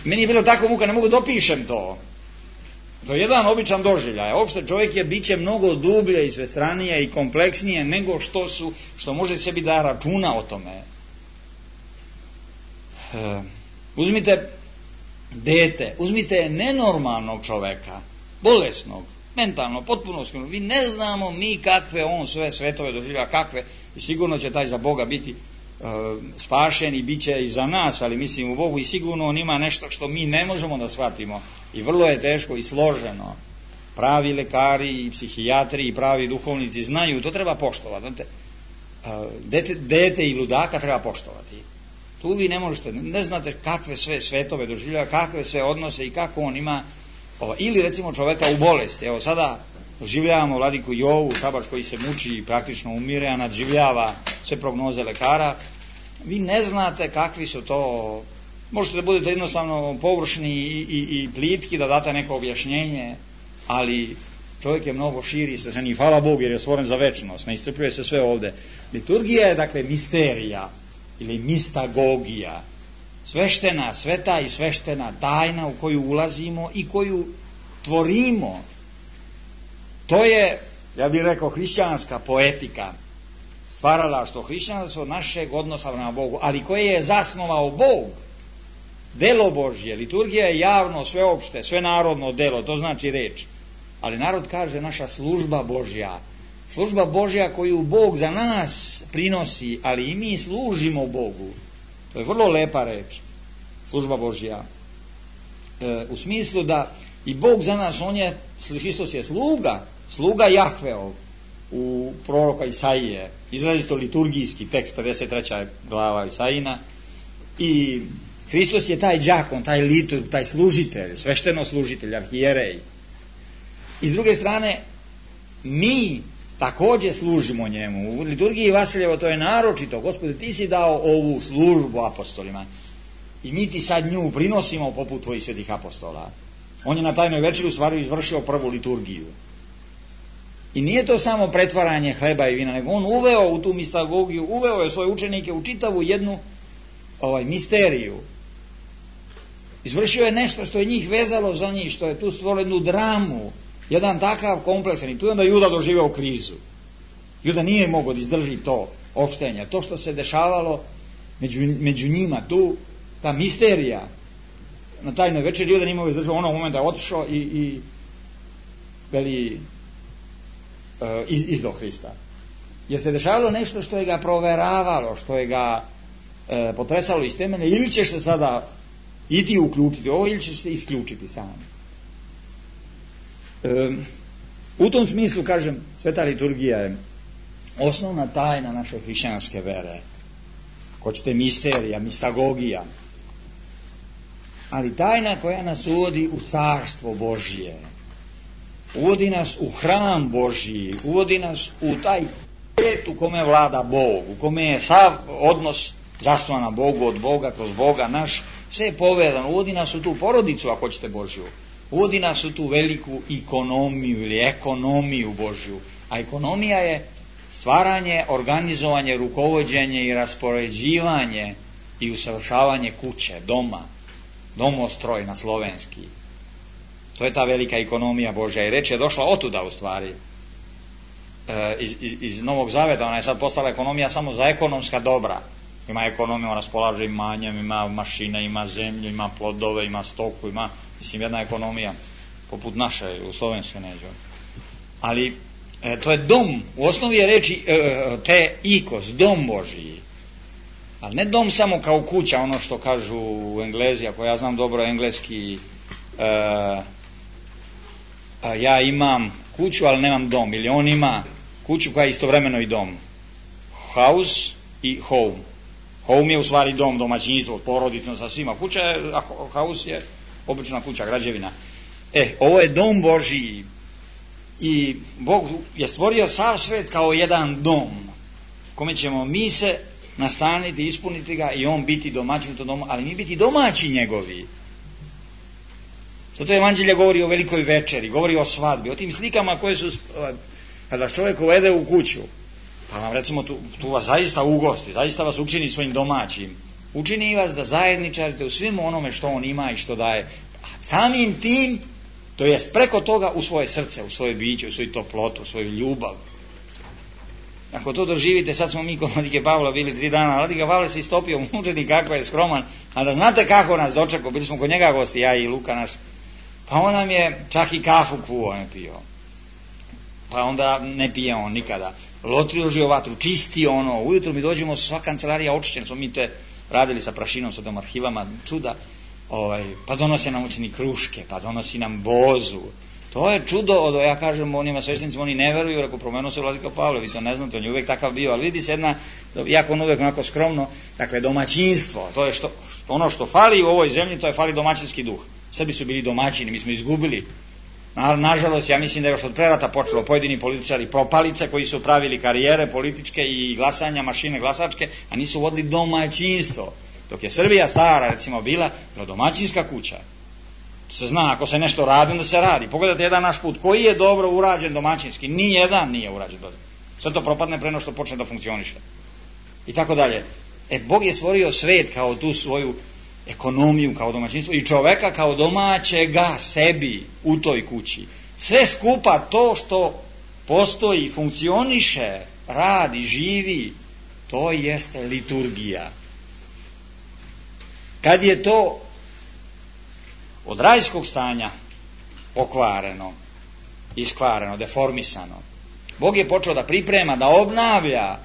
Meni je bilo tako muka, ne mogu da opišem to. To je jedan običan doživljaj. Uopšte čovjek je biće mnogo dublje i svestranije i kompleksnije nego što može sebi da računa o tome. Uzmite dete, uzmite nenormalnog čoveka, bolesnog, mentalno, potpuno skrenuo. Vi ne znamo mi kakve on sve svetove doživlja, kakve, i sigurno će taj za Boga biti spašen i bit će i za nas, ali mislim u Bogu, i sigurno on ima nešto što mi ne možemo da shvatimo i vrlo je teško i složeno. Pravi lekari i psihijatri i pravi duhovnici znaju, to treba poštovati. dete i ludaka treba poštovati. Tu vi ne možete, ne znate kakve sve svetove doživljava, kakve sve odnose i kako on ima, ili recimo čoveka u bolesti. Evo sada doživljavamo vladiku Jovu, Šabač koji se muči i praktično umire, a nadživljava sve prognoze lekara. Vi ne znate kakvi su to, možete da budete jednostavno površni i plitki, da date neko objašnjenje, ali čovjek je mnogo širi se i hvala Bogu jer je stvoren za večnost, ne iscrpljuje se sve ovde. Liturgija je dakle misterija ili mistagogija, sveštena, sveta i sveštena tajna u koju ulazimo i koju tvorimo. To je, ja bih rekao, hrišćanska poetika, stvaralaštvo hrišćanstvo našeg odnosa prema Bogu, ali koje je zasnovao Bog, delo Božje. Liturgija je javno, sveopšte, svenarodno delo, to znači reč. Ali narod kaže naša služba Božja. Služba Božja koju Bog za nas prinosi, ali i mi služimo Bogu. To je vrlo lepa reč, služba Božja. U smislu da i Bog za nas, Hristos je sluga Jahveov u proroka Isaije, izrazito liturgijski tekst, 53. glava Isaijina, i Hristos je taj đakon, taj liturg, taj služitelj, svešteno služitelj, arhijerej. I s druge strane, mi također služimo njemu. U liturgiji Vasiljevo to je naročito. Gospode, ti si dao ovu službu apostolima i mi ti sad nju prinosimo poput tvojih svetih apostola. On je na tajnoj večeri u stvari izvršio prvu liturgiju. I nije to samo pretvaranje hleba i vina, nego on uveo u tu mistagogiju, uveo je svoje učenike u čitavu jednu misteriju. Izvršio je nešto što je njih vezalo za njih, što je tu stvorilo jednu dramu, jedan takav kompleksan. I tu je onda Juda doživeo krizu. Juda nije mogao da izdrži to opštenje, to što se dešavalo među njima, tu ta misterija. Na tajnoj večeri Juda nije mogao izdržao, onog momenta je otišao i veli izdo Hrista. Jer se dešavalo nešto što je ga proveravalo, što je ga potresalo iz temelja, ili ćeš se sada i ti uključiti ovo, ili ćeš se isključiti sam. U tom smislu, kažem, sveta liturgija je osnovna tajna naše hrišćanske vere. Ako ćete, misterija, mistagogija. Ali tajna koja nas uvodi u carstvo Božje, uvodi nas u hram Božji, uvodi nas u taj svijet u kome vlada Bog, u kome je sav odnos zasnovan na Bogu, od Boga, kroz Boga naš, sve je povezano. Uvodi nas u tu porodicu, ako hoćete, Božju. Uvodi nas u tu veliku ekonomiju ili ekonomiju Božju. A ekonomija je stvaranje, organizovanje, rukovođenje i raspoređivanje i usavršavanje kuće, doma, domostroj na slovenski. To je ta velika ekonomija Božja i reč je došla otuda u stvari. Iz Novog Zaveta, ona je sad postala ekonomija samo za ekonomska dobra. Ima ekonomiju, raspolaže imanjem, ima mašine, ima zemlju, ima plodove, ima stoku, ima, mislim, jedna ekonomija poput naše u Slovenskoj neđe. Ali to je dom, u osnovi je reči te ikos, dom Božji. Ali ne dom samo kao kuća, ono što kažu u Englezi, ako ja znam dobro engleski, ja imam kuću, ali nemam dom, ili on ima kuću koja je istovremeno i dom. House i home. Home je u stvari dom, domaćinstvo, porodično sa svima. Kuća je, a house je obična kuća, građevina. Ovo je dom Božji i Bog je stvorio sav svet kao jedan dom kome ćemo mi se nastaniti, ispuniti ga i on biti domaćin u tom domu, ali mi biti domaći njegovi. Zato evanđelje govori o velikoj večeri, govori o svadbi, o tim slikama koje su, kada vas čovjek uvede u kuću, pa vam recimo tu vas zaista ugosti, zaista vas učini svojim domaćim, učini vas da zajedničarite u svim onome što on ima i što daje, a samim tim, to jest preko toga u svoje srce, u svoje biće, u svoju toplotu, u svoju ljubav. Ako to doživite, sad smo mi kod Vladike Pavla bili 3 dana, Vladika Pavle se istopio mučenik, kako je skroman, a da znate kako nas dočekao, bili smo kod njega gosti, ja i Luka naš, pa on nam je čak i kafu kuo ne pio, pa onda ne pije on nikada, ložio vatru, čisti ono, ujutro mi dođemo, sva kancelarija očišćena, smo mi te radili sa prašinom, sa tom arhivama, čuda, pa donosi nam učeni kruške, pa donosi nam bozu, To je čudo, ja kažem onima sveštenicima, oni ne veruju, rekao, promenuo se Vladika Pavle, vi to ne znate, on je uvijek takav bio, ali vidi se jedna, jako on uvijek onako skromno, dakle domaćinstvo, to je ono što fali u ovoj zemlji, to je fali domaćinski duh. Srbi su bili domaćini, mi smo izgubili. Nažalost, ja mislim da je još od prerata počelo pojedini političari propalice koji su pravili karijere političke i glasanja, mašine glasačke, a nisu vodili domaćinstvo. Dok je Srbija stara, recimo, bila domaćinska kuća. Se zna, ako se nešto radi, onda se radi. Pogledajte jedan naš put, koji je dobro urađen domaćinski, nijedan nije urađen dobro. Sve to propadne pre nego što počne da funkcioniše. I tako dalje. Bog je stvorio svet kao tu svoju ekonomiju, kao domaćinstvo i čoveka kao domaćega sebi u toj kući. Sve skupa to što postoji, funkcioniše, radi, živi, to jeste liturgija. Kad je to od rajskog stanja pokvareno, iskvareno, deformisano, Bog je počeo da priprema, da obnavlja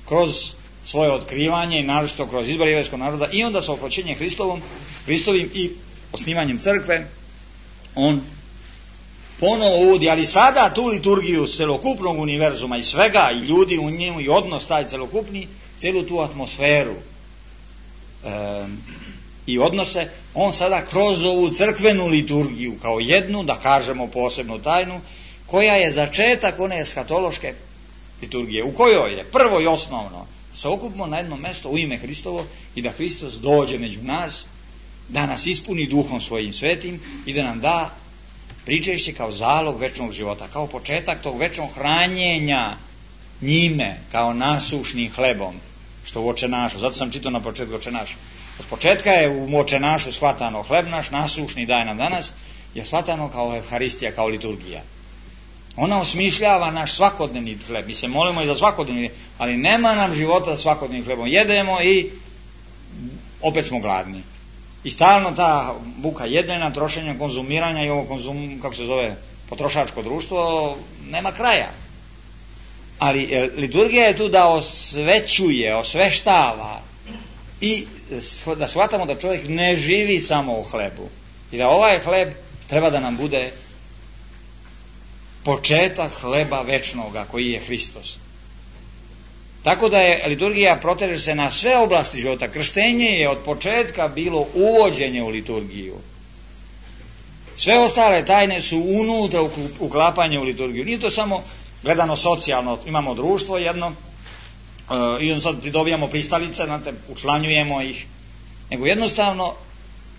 kroz svoje otkrivanje i naročito kroz izbor jevrejskog naroda i onda sa okroćenjem Hristovim i osnivanjem crkve on ponovo uvodi, ali sada tu liturgiju celokupnog univerzuma i svega i ljudi u njemu i odnos taj celokupni, celu tu atmosferu i odnose, on sada kroz ovu crkvenu liturgiju kao jednu, da kažemo posebnu tajnu, koja je začetak one eshatološke liturgije, u kojoj je prvo i osnovno se okupimo na jedno mesto u ime Hristovo i da Hristos dođe među nas, da nas ispuni duhom svojim svetim i da nam da pričešće kao zalog večnog života, kao početak tog večnog hranjenja njime, kao nasušnim hlebom, što u očenašu, zato sam čitao na početku očenaša. Od početka je u očenašu shvatano hleb naš, nasušni daje nam danas, je shvatano kao Evharistija, kao liturgija. Ona osmišljava naš svakodnevni hleb. Mi se molimo i za svakodnevni, ali nema nam života svakodnevnim hlebom. Jedemo i opet smo gladni. I stalno ta buka jedenja, trošenja, konzumiranja i ovo kako se zove, potrošačko društvo, nema kraja. Ali liturgija je tu da osvećuje, osveštava i da shvatamo da čovjek ne živi samo u hlebu. I da ovaj hleb treba da nam bude početak hleba večnoga koji je Hristos. Tako da je liturgija proteže se na sve oblasti života. Krštenje je od početka bilo uvođenje u liturgiju. Sve ostale tajne su unutra uklapanje u liturgiju. Nije to samo gledano socijalno, imamo društvo jedno i on sad pridobijamo pristalice, znate, učlanjujemo ih, nego jednostavno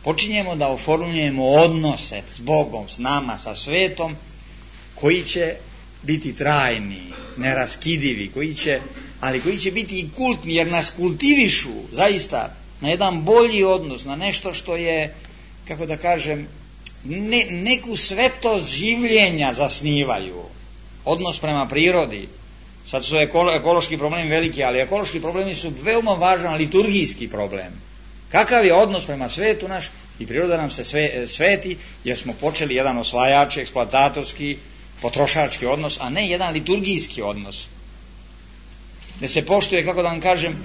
počinjemo da oformljujemo odnose s Bogom, s nama, sa svetom, koji će biti trajni, neraskidivi, ali koji će biti i kultni, jer nas kultivišu zaista na jedan bolji odnos, na nešto što je, kako da kažem, neku svetost življenja zasnivaju, odnos prema prirodi. Sad su ekološki problemi veliki, ali ekološki problemi su veoma važan liturgijski problem. Kakav je odnos prema svetu naš i priroda nam se sveti, jer smo počeli jedan osvajački, eksploatatorski, potrošački odnos, a ne jedan liturgijski odnos. Da se poštuje, kako da vam kažem,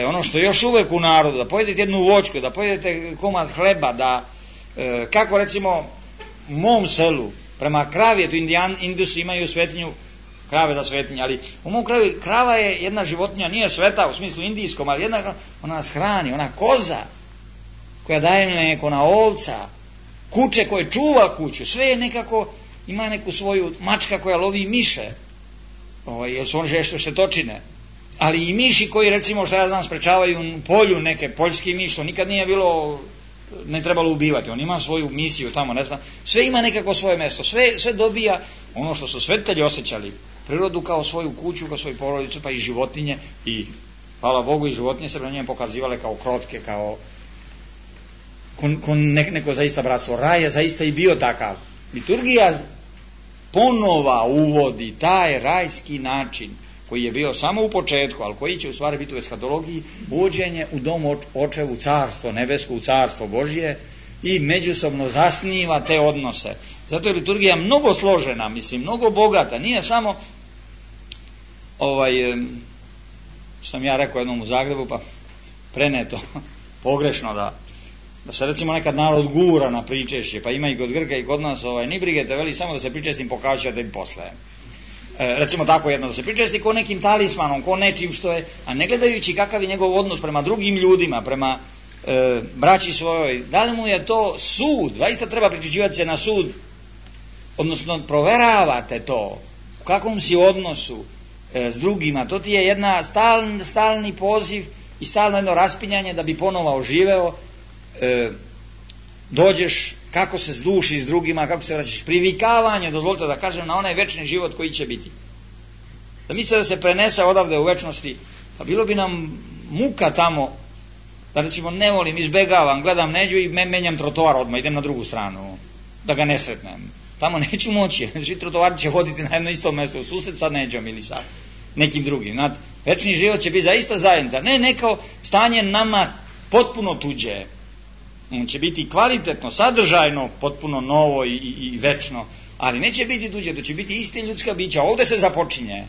ono što je još uvek u narodu, da pojedete jednu voćku, da pojedete komad hleba, da, kako recimo u mom selu, prema kravi, eto Indusi imaju svetinju, krave za svetinje, ali u mom kravi krava je jedna životinja, nije sveta u smislu indijskom, ali ona nas hrani, ona koza koja daje mlijeko, ona ovca, kuće koje čuva kuću, sve je nekako, ima neku svoju mačka koja lovi miše, jer su oni štetočine, ali i miši koji recimo što ja znam sprečavaju u polju neke poljski miš, to nikad nije bilo, ne trebalo ubivati, on ima svoju misiju tamo, ne znam, sve ima nekako svoje mesto, sve dobija ono što su svetitelji osjećali, prirodu kao svoju kuću, kao svoju porodicu, pa i životinje, i hvala Bogu i životinje se prema njemu pokazivale kao krotke, kao neko zaista bratstvo. Raj je zaista i bio takav. Liturgija ponova uvodi taj rajski način koji je bio samo u početku, ali koji će u stvari biti u eshatologiji, uvođenje u dom očevu, carstvo nebesko, u carstvo Božje, i međusobno zasniva te odnose. Zato je liturgija mnogo složena, mislim, mnogo bogata. Nije samo sam ja rekao jednom u Zagrebu, pa preneto pogrešno, da da se recimo nekad narod gura na pričešće, pa ima i kod Grka i kod nas, ni brige te veli, samo da se pričestim pokazat ću da im posle. Recimo tako jedno, da se pričesti ko nekim talismanom, ko nečim što je, a ne gledajući kakav je njegov odnos prema drugim ljudima, prema braći svojoj, da li mu je to sud, zaista treba priključivati se na sud, odnosno proveravate to, u kakvom si odnosu s drugima, to ti je jedna stalni poziv i stalno jedno raspinjanje da bi ponovo oživeo, dođeš kako se zduši s drugima, kako se vraćaš, privikavanje, dozvolite da kažem, na onaj večni život koji će biti. Da mislite da se prenese odavde u večnosti, pa bilo bi nam muka tamo, da recimo ne volim, izbegavam, gledam Neđu i menjam trotoar odmah, idem na drugu stranu, da ga ne sretnem. Tamo neću moći, svi trotovari će voditi na jedno isto mjesto, u susret sa Neđom ili sa nekim drugim. Večni život će biti zaista zajednica, ne neko stanje nama potpuno tuđe. On će biti kvalitetno, sadržajno, potpuno novo i večno, ali neće biti tuđe, to će biti iste ljudska bića. Ovdje se započinje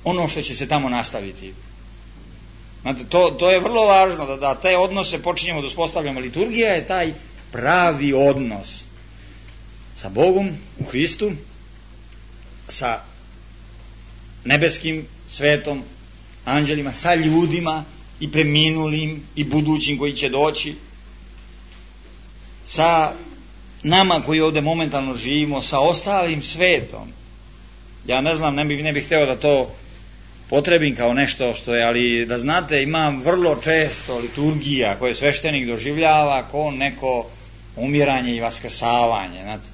ono što će se tamo nastaviti. Znate, to je vrlo važno, da te odnose počinjemo da uspostavljamo. Liturgija je taj pravi odnos sa Bogom u Hristu, sa nebeskim svetom, anđelima, sa ljudima i preminulim i budućim koji će doći, sa nama koji ovdje momentalno živimo, sa ostalim svetom. Ja ne znam, ne bih hteo da to potrebim kao nešto što je, ali da znate, ima vrlo često liturgija koje sveštenik doživljava kao neko umiranje i vaskrsavanje. Znate,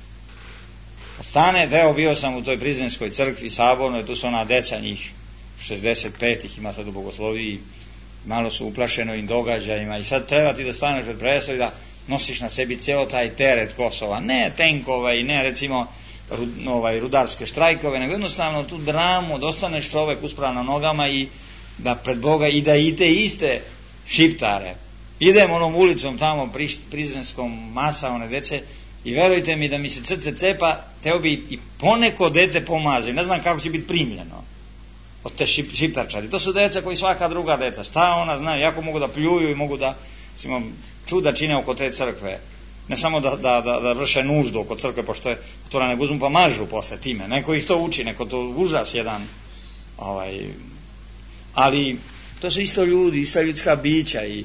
kad stane, bio sam u toj Prizrenskoj crkvi sabornoj, tu su ona deca, njih 65 ih ima sad u bogosloviji, malo su uplašeno im događajima i sad treba ti da staneš pred preslav i da nosiš na sebi ceo taj teret Kosova, ne tenkove i ne recimo rudarske štrajkove, nego jednostavno tu dramu, da ostaneš čovek uspravan na nogama i da pred Boga i da i te iste šiptare. Idem onom ulicom tamo Prizrenskom, masa one dece i verujte mi da mi se srce cepa, teo bi i poneko dete pomazim, ne znam kako će biti primljeno od te šiptarčadi. To su deca koji svaka druga deca, šta ona znaju, jako mogu da pljuju i mogu da čuda čine oko te crkve. Ne samo da vrše nuždu oko crkve, pošto je otvora, nego uzmu pa mažu posle time. Neko ih to uči, neko to užas jedan. Ali to su isto ljudi, isto ljudska bića i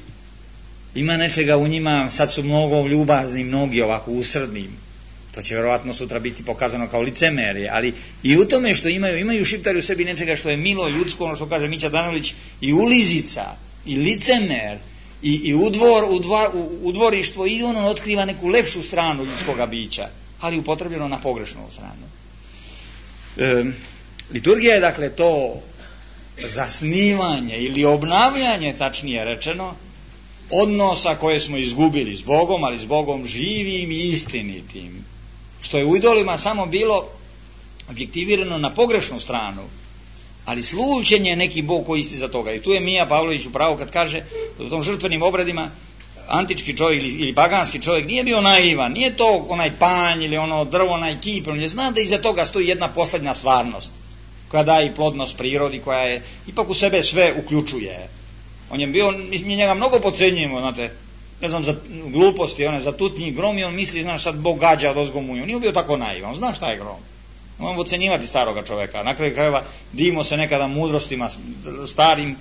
ima nečega u njima, sad su mnogo ljubazni, mnogi ovako usrdni. To će verovatno sutra biti pokazano kao licemerje, ali i u tome što imaju šiptari u sebi nečega što je milo, ljudsko, ono što kaže Mića Danović, i ulizica, i licemer, i udvorištvo, i ono otkriva neku lepšu stranu ljudskoga bića, ali upotrebljeno na pogrešnu stranu. Liturgija je dakle to zasnivanje ili obnavljanje, tačnije rečeno, odnosa koje smo izgubili s Bogom, ali s Bogom živim i istinitim, što je u idolima samo bilo objektivirano na pogrešnu stranu, ali slučen je neki Bog koji isti za toga. I tu je Mija Pavlović u pravu kad kaže da u tom žrtvenim obredima antički čovjek ili paganski čovjek nije bio naivan, nije to onaj panj ili ono drvo, onaj kip, on je zna da iza toga stoji jedna poslednja stvarnost koja daje i plodnost prirodi, koja je ipak u sebe sve uključuje. On je bio, mi njega mnogo podcenjujemo, znate, ne znam, za gluposti, za tutnji grom, i on misli, znaš, sad Bog gađa od ozgomu, on nije bio tako naivan, on zna šta je grom. Moramo ocenjivati staroga čoveka. Na kraju krajeva divimo se nekada mudrostima starim,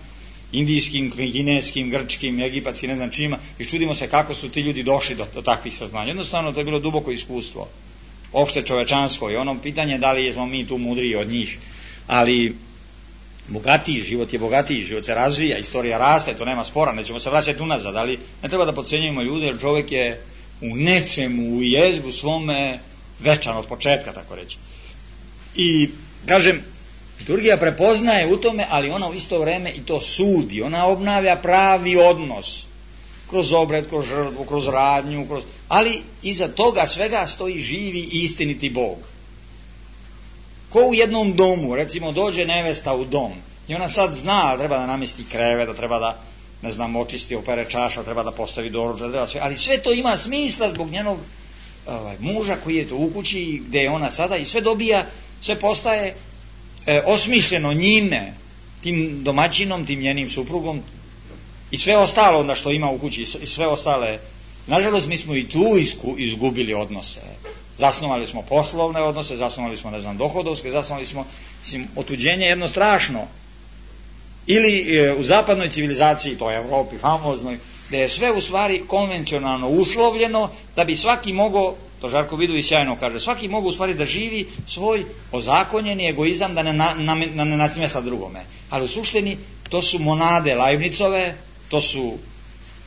indijskim, kineskim, grčkim, egipatskim, ne znam čima, i čudimo se kako su ti ljudi došli do takvih saznanja. Jednostavno to je bilo duboko iskustvo, opšte čovečansko, i ono pitanje da li smo mi tu mudriji od njih, ali bogatiji, život je bogatiji, život se razvija, istorija raste, to nema spora, nećemo se vraćati unazad, ali ne treba da podcenjujemo ljude, jer čovjek je u nečemu, u jezgu svome večan od početka, tako reći. I, kažem, liturgija prepoznaje u tome, ali ona u isto vreme i to sudi, ona obnavlja pravi odnos, kroz obred, kroz žrtvu, kroz radnju, ali iza toga svega stoji živi i istiniti Bog. Ko u jednom domu, recimo dođe nevesta u dom i ona sad zna da treba da namesti kreve, da treba da, ne znam, očisti, opere čaša, treba da postavi doručak, ali sve to ima smisla zbog njenog muža koji je to u kući gde je ona sada, i sve dobija, sve postaje osmišljeno njime, tim domaćinom, tim njenim suprugom, i sve ostalo onda što ima u kući, i sve ostale Nažalost, mi smo i tu izgubili odnose. Zasnovali smo poslovne odnose, zasnovali smo, dohodovske, zasnovali smo, otuđenje jedno strašno. Ili u zapadnoj civilizaciji, to je Evropi famoznoj, gde je sve u stvari konvencionalno uslovljeno, da bi svaki mogao, to Žarko Vidović sjajno kaže, svaki mogao u stvari da živi svoj ozakonjeni egoizam, da ne nasmjesa drugome. Ali u suštini to su monade Leibnicove, to su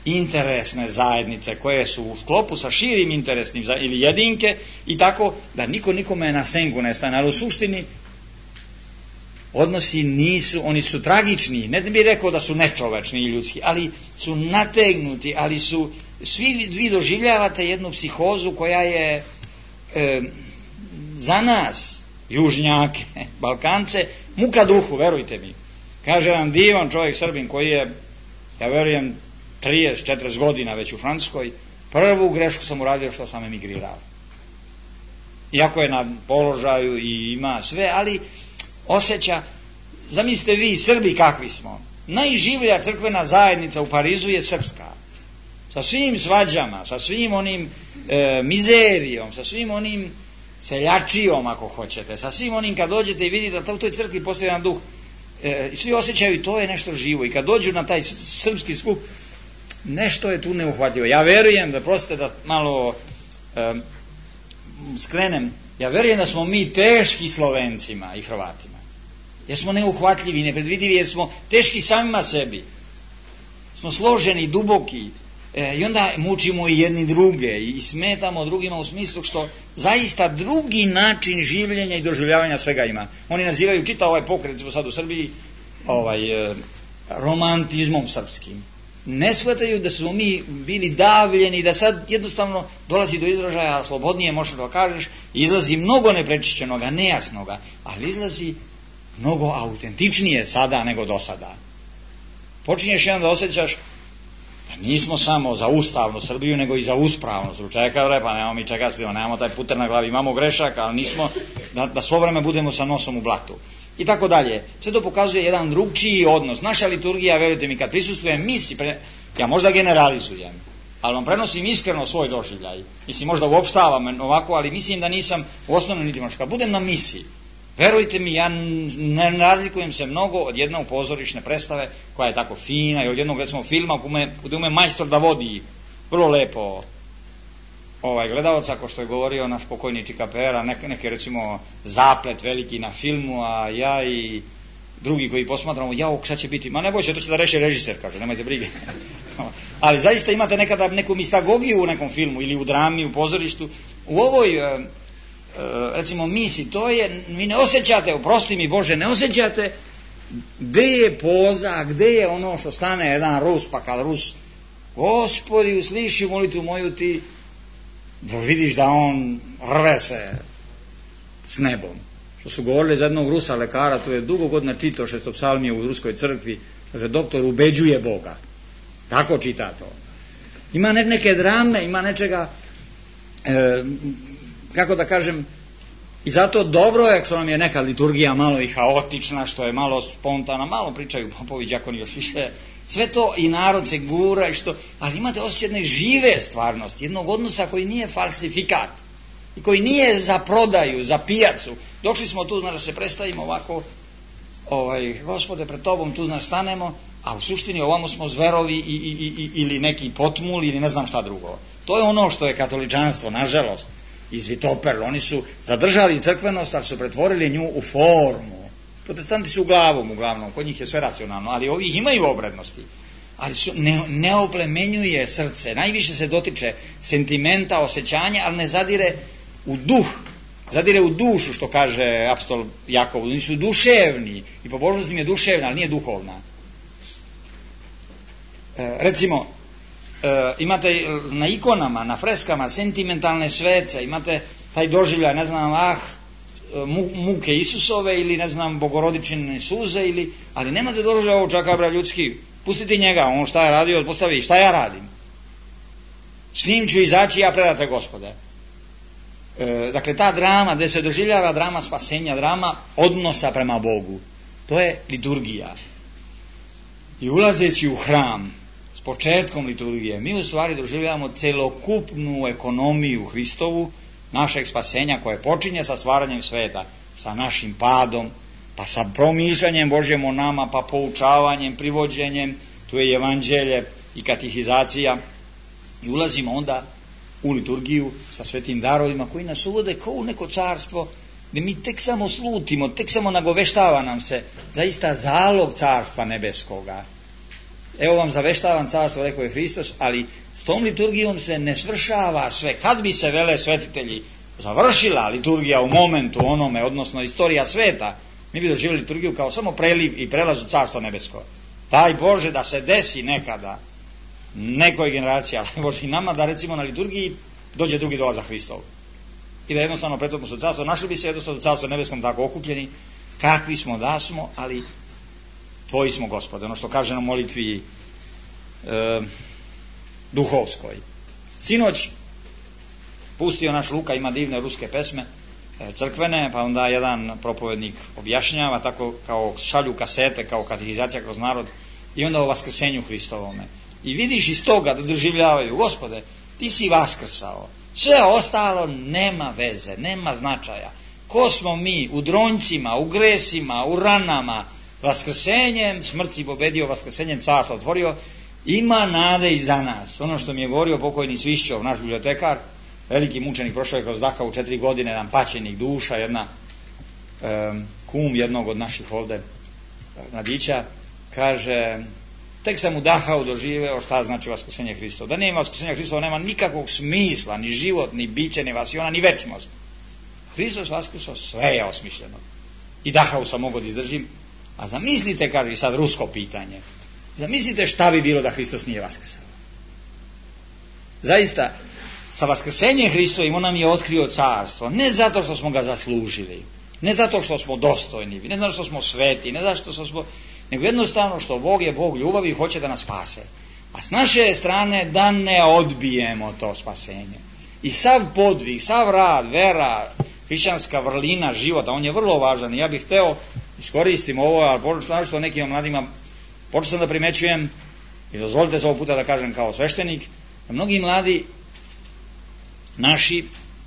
interesne zajednice koje su u sklopu sa širim interesnim ili jedinke i tako da niko nikome na senku ne stane, ali u suštini odnosi nisu, oni su tragični, ne bih rekao da su nečovečni i ljudski, ali su nategnuti, ali su, svi vi doživljavate jednu psihozu koja je za nas, južnjake, Balkance, muka duhu, verujte mi. Kaže jedan divan čovjek Srbin koji je, ja verujem, 30-40 godina već u Francuskoj, prvu grešku sam uradio što sam emigrirao. Iako je na položaju i ima sve, ali osjeća, zamislite vi, Srbi kakvi smo, najživlja crkvena zajednica u Parizu je srpska, sa svim svađama, sa svim onim mizerijom, sa svim onim seljačijom ako hoćete, sa svim onim kad dođete i vidite da u toj crkvi postoji jedan duh i svi osjećaju to je nešto živo i kad dođu na taj srpski skup nešto je tu neuhvatljivo. Ja verujem da, prostite da malo skrenem, ja verujem da smo mi teški Slovencima i Hrvatima. Jer smo neuhvatljivi, nepredvidivi, jer smo teški samima sebi. Smo složeni, duboki i onda mučimo i jedni druge i smetamo drugima u smislu što zaista drugi način življenja i doživljavanja svega ima. Oni nazivaju čitav ovaj pokret, smo sad u Srbiji, romantizmom srpskim. Ne shvataju da smo mi bili davljeni, da sad jednostavno dolazi do izražaja, slobodnije možeš da kažeš, izlazi mnogo neprečišćenoga, nejasnoga, ali izlazi mnogo autentičnije sada nego do sada. Počinješ jedan da osjećaš da nismo samo za ustavnu Srbiju, nego i za uspravnu Srbiju. Čekaj, pa nemamo mi čega slima, nemamo taj puter na glavi, imamo grešaka, ali nismo da svo vreme budemo sa nosom u blatu. I tako dalje. Sve to pokazuje jedan drugčiji odnos. Naša liturgija, verujte mi, kad prisustvujem misi, ja možda generalizujem, ali vam prenosim iskreno svoj doživljaj. Mislim, možda uopštavam ovako, ali mislim da nisam u osnovnom niti kad budem na misi, verujte mi, ja ne razlikujem se mnogo od jednog pozorišne predstave koja je tako fina i od jednog, recimo, filma gde ume majstor da vodi vrlo lepo gledalca, ako što je govorio naš pokojni Čika Pera, neki recimo zaplet veliki na filmu, a ja i drugi koji posmatramo, šta će biti, ma ne bojte, to će da reši režiser, kaže, nemojte brige. Ali zaista imate nekada neku mistagogiju u nekom filmu ili u drami, u pozorištu. U ovoj recimo misi, to je, vi ne osjećate, oprosti mi Bože, ne osjećate gde je poza, gde je ono što stane jedan Rus, pa kad Rus, Gospodi, usliši molitvu moju, ti da vidiš da on rve se s nebom. Što su govorili za jednog Rusa lekara, to je dugo godina čitao šestopsalmije u ruskoj crkvi, kaže, doktor ubeđuje Boga. Tako čita to. Ima neke drame, ima nečega, kako da kažem, i zato dobro je, što nam je neka liturgija malo i haotična, što je malo spontana, malo pričaju popovi, đakoni još više, sve to i narod se gura i što, ali imate osjećaj jedne žive stvarnosti, jednog odnosa koji nije falsifikat i koji nije za prodaju, za pijacu. Došli smo tu, da se predstavimo ovako, Gospode, pred tobom tu nastanemo, a u suštini ovamo smo zverovi ili neki potmul ili ne znam šta drugo. To je ono što je katoličanstvo, nažalost, izvitoperlo. Oni su zadržali crkvenost, ali su pretvorili nju u formu. Protestanti su uglavnom, kod njih je sve racionalno, ali ovih imaju obrednosti. Ali ne oplemenjuje srce, najviše se dotiče sentimenta, osjećanja, ali ne zadire u duh, zadire u dušu, što kaže apostol Jakov. Oni su duševni i pobožnost im je duševna, ali nije duhovna. Recimo, imate na ikonama, na freskama sentimentalne svece, imate taj doživljaj, ne znam, muke Isusove ili ne znam, bogorodičine suze, ali nemate doživljaj ovog čakabra ljudski, pustite njega, on šta je radio, postavi, šta ja radim, s njim ću izaći, ja predate Gospode. Dakle, ta drama gde se doživljava drama spasenja, drama odnosa prema Bogu, to je liturgija. I ulazeći u hram, početkom liturgije mi u stvari doživljavamo celokupnu ekonomiju Hristovu, našeg spasenja koje počinje sa stvaranjem sveta, sa našim padom, pa sa promišljanjem Božjem o nama, pa poučavanjem, privođenjem, tu je evanđelje i katehizacija, i ulazimo onda u liturgiju sa svetim darovima koji nas uvode kao u neko carstvo gdje mi tek samo slutimo, tek samo nagoveštava nam se zaista zalog carstva nebeskoga. Evo vam zaveštavam carstvo, rekao je Hristos, ali s tom liturgijom se ne svršava sve. Kad bi se, vele svetitelji, završila liturgija u momentu onome, odnosno istorija sveta, mi bi doživjeli liturgiju kao samo preliv i prelaz u carstvo nebesko. Daj Bože da se desi nekada nekoj generaciji, ali Bože i nama, da recimo na liturgiji dođe drugi dolazak Hristov. I da jednostavno pretopimo se u carstvo, našli bi se jednostavno u carstvu nebeskom tako okupljeni, kakvi smo da smo, ali Tvoji smo, Gospode, ono što kaže na molitvi duhovskoj. Sinoć pustio naš Luka, ima divne ruske pesme, crkvene, pa onda jedan propovednik objašnjava, tako kao šalju kasete, kao katehizacija kroz narod, i onda o vaskrsenju Hristovome. I vidiš iz toga da doživljavaju, Gospode, Ti si vaskrsao, sve ostalo nema veze, nema značaja. Ko smo mi u dronjcima, u gresima, u ranama, vaskrsenjem, smrt si pobedio, vaskrsenjem carstva otvorio, ima nade i za nas. Ono što mi je govorio pokojni Svišćov, naš bibliotekar, veliki mučenik, prošao je kroz Dachau 4 godine, jedan paćenik duša, jedna kum jednog od naših ovde mladića, kaže, tek sam u Dachau doživeo šta znači vaskrsenje Hristova. Da nema vaskrsenja Hristova, nema nikakvog smisla, ni život, ni biće, ni vasiona, ni večnost. Hristos vaskrsao, sve je osmišljeno. I Dachau sam mogao da izdržim. A zamislite, kaže i sad rusko pitanje, zamislite šta bi bilo da Hristos nije vaskrsao. Zaista, sa vaskrsenjem Hristovim on nam je otkrio carstvo, ne zato što smo ga zaslužili, ne zato što smo dostojni, ne zato što smo sveti, ne zato što smo, nego jednostavno što Bog je Bog ljubavi i hoće da nas spase. A s naše strane da ne odbijemo to spasenje. I sav podvig, sav rad, vera, hrišćanska vrlina života, on je vrlo važan i ja bih hteo iskoristim ovo, ali pošto što nekim mladima počeo sam da primećujem, i dozvolite se ovog puta da kažem kao sveštenik, da mnogi mladi naši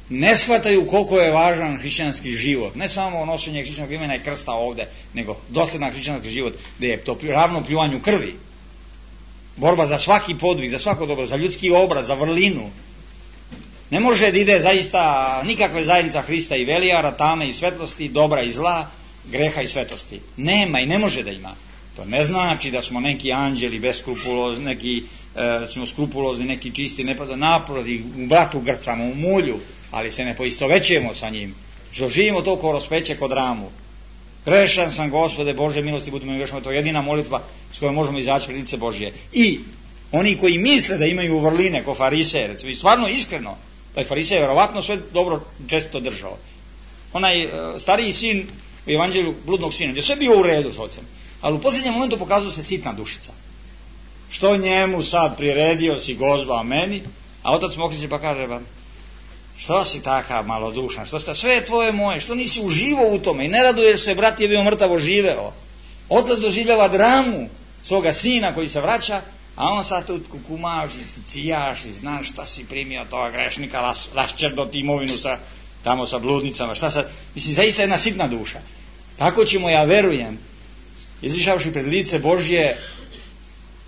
ne shvataju koliko je važan hrišćanski život, ne samo nošenje hrišćanskog imena i krsta ovde, nego dosledan hrišćanski život, gde je to ravno pljuvanju krvi, borba za svaki podvig, za svako dobro, za ljudski obraz, za vrlinu. Ne može da ide zaista nikakve zajednica Hrista i Velijara, tame i svetlosti, dobra i zla, greha i svetosti. Nema i ne može da ima. To ne znači da smo neki anđeli beskrupulozni, neki recimo skrupulozni, neki čisti, naprotiv, u blatu grcamo, u mulju, ali se ne poistovećujemo sa njim. Živimo to kao raspeće kod ramu. Grešan sam, Gospode Bože milosti, budemo mi grešni, to je jedina molitva s kojom možemo izaći pred lice Božje. I oni koji misle da imaju vrline ko fariseje, recimo, i stvarno iskreno, taj farisej je verovatno sve dobro često držao. Onaj stariji sin u evanđelju bludnog sina, gdje sve bio u redu s ocem, ali u posljednjem momentu pokazuje se sitna dušica. Što njemu sad priredio si Gozba, a meni, a otac mu okreće pa kaže, što si takav malodušan, sve je tvoje moje, što nisi uživao u tome i ne raduješ se, brat je bio mrtavo živeo. Otac doživljava dramu svoga sina koji se vraća, a on sad tu kukumaš i cijaš i znaš šta si primio toga grešnika, raščerdoti imovinu tamo sa bludnicama, šta sad, mislim, zaista jedna sitna duša. Tako ćemo, ja verujem, izišavši pred lice Božje,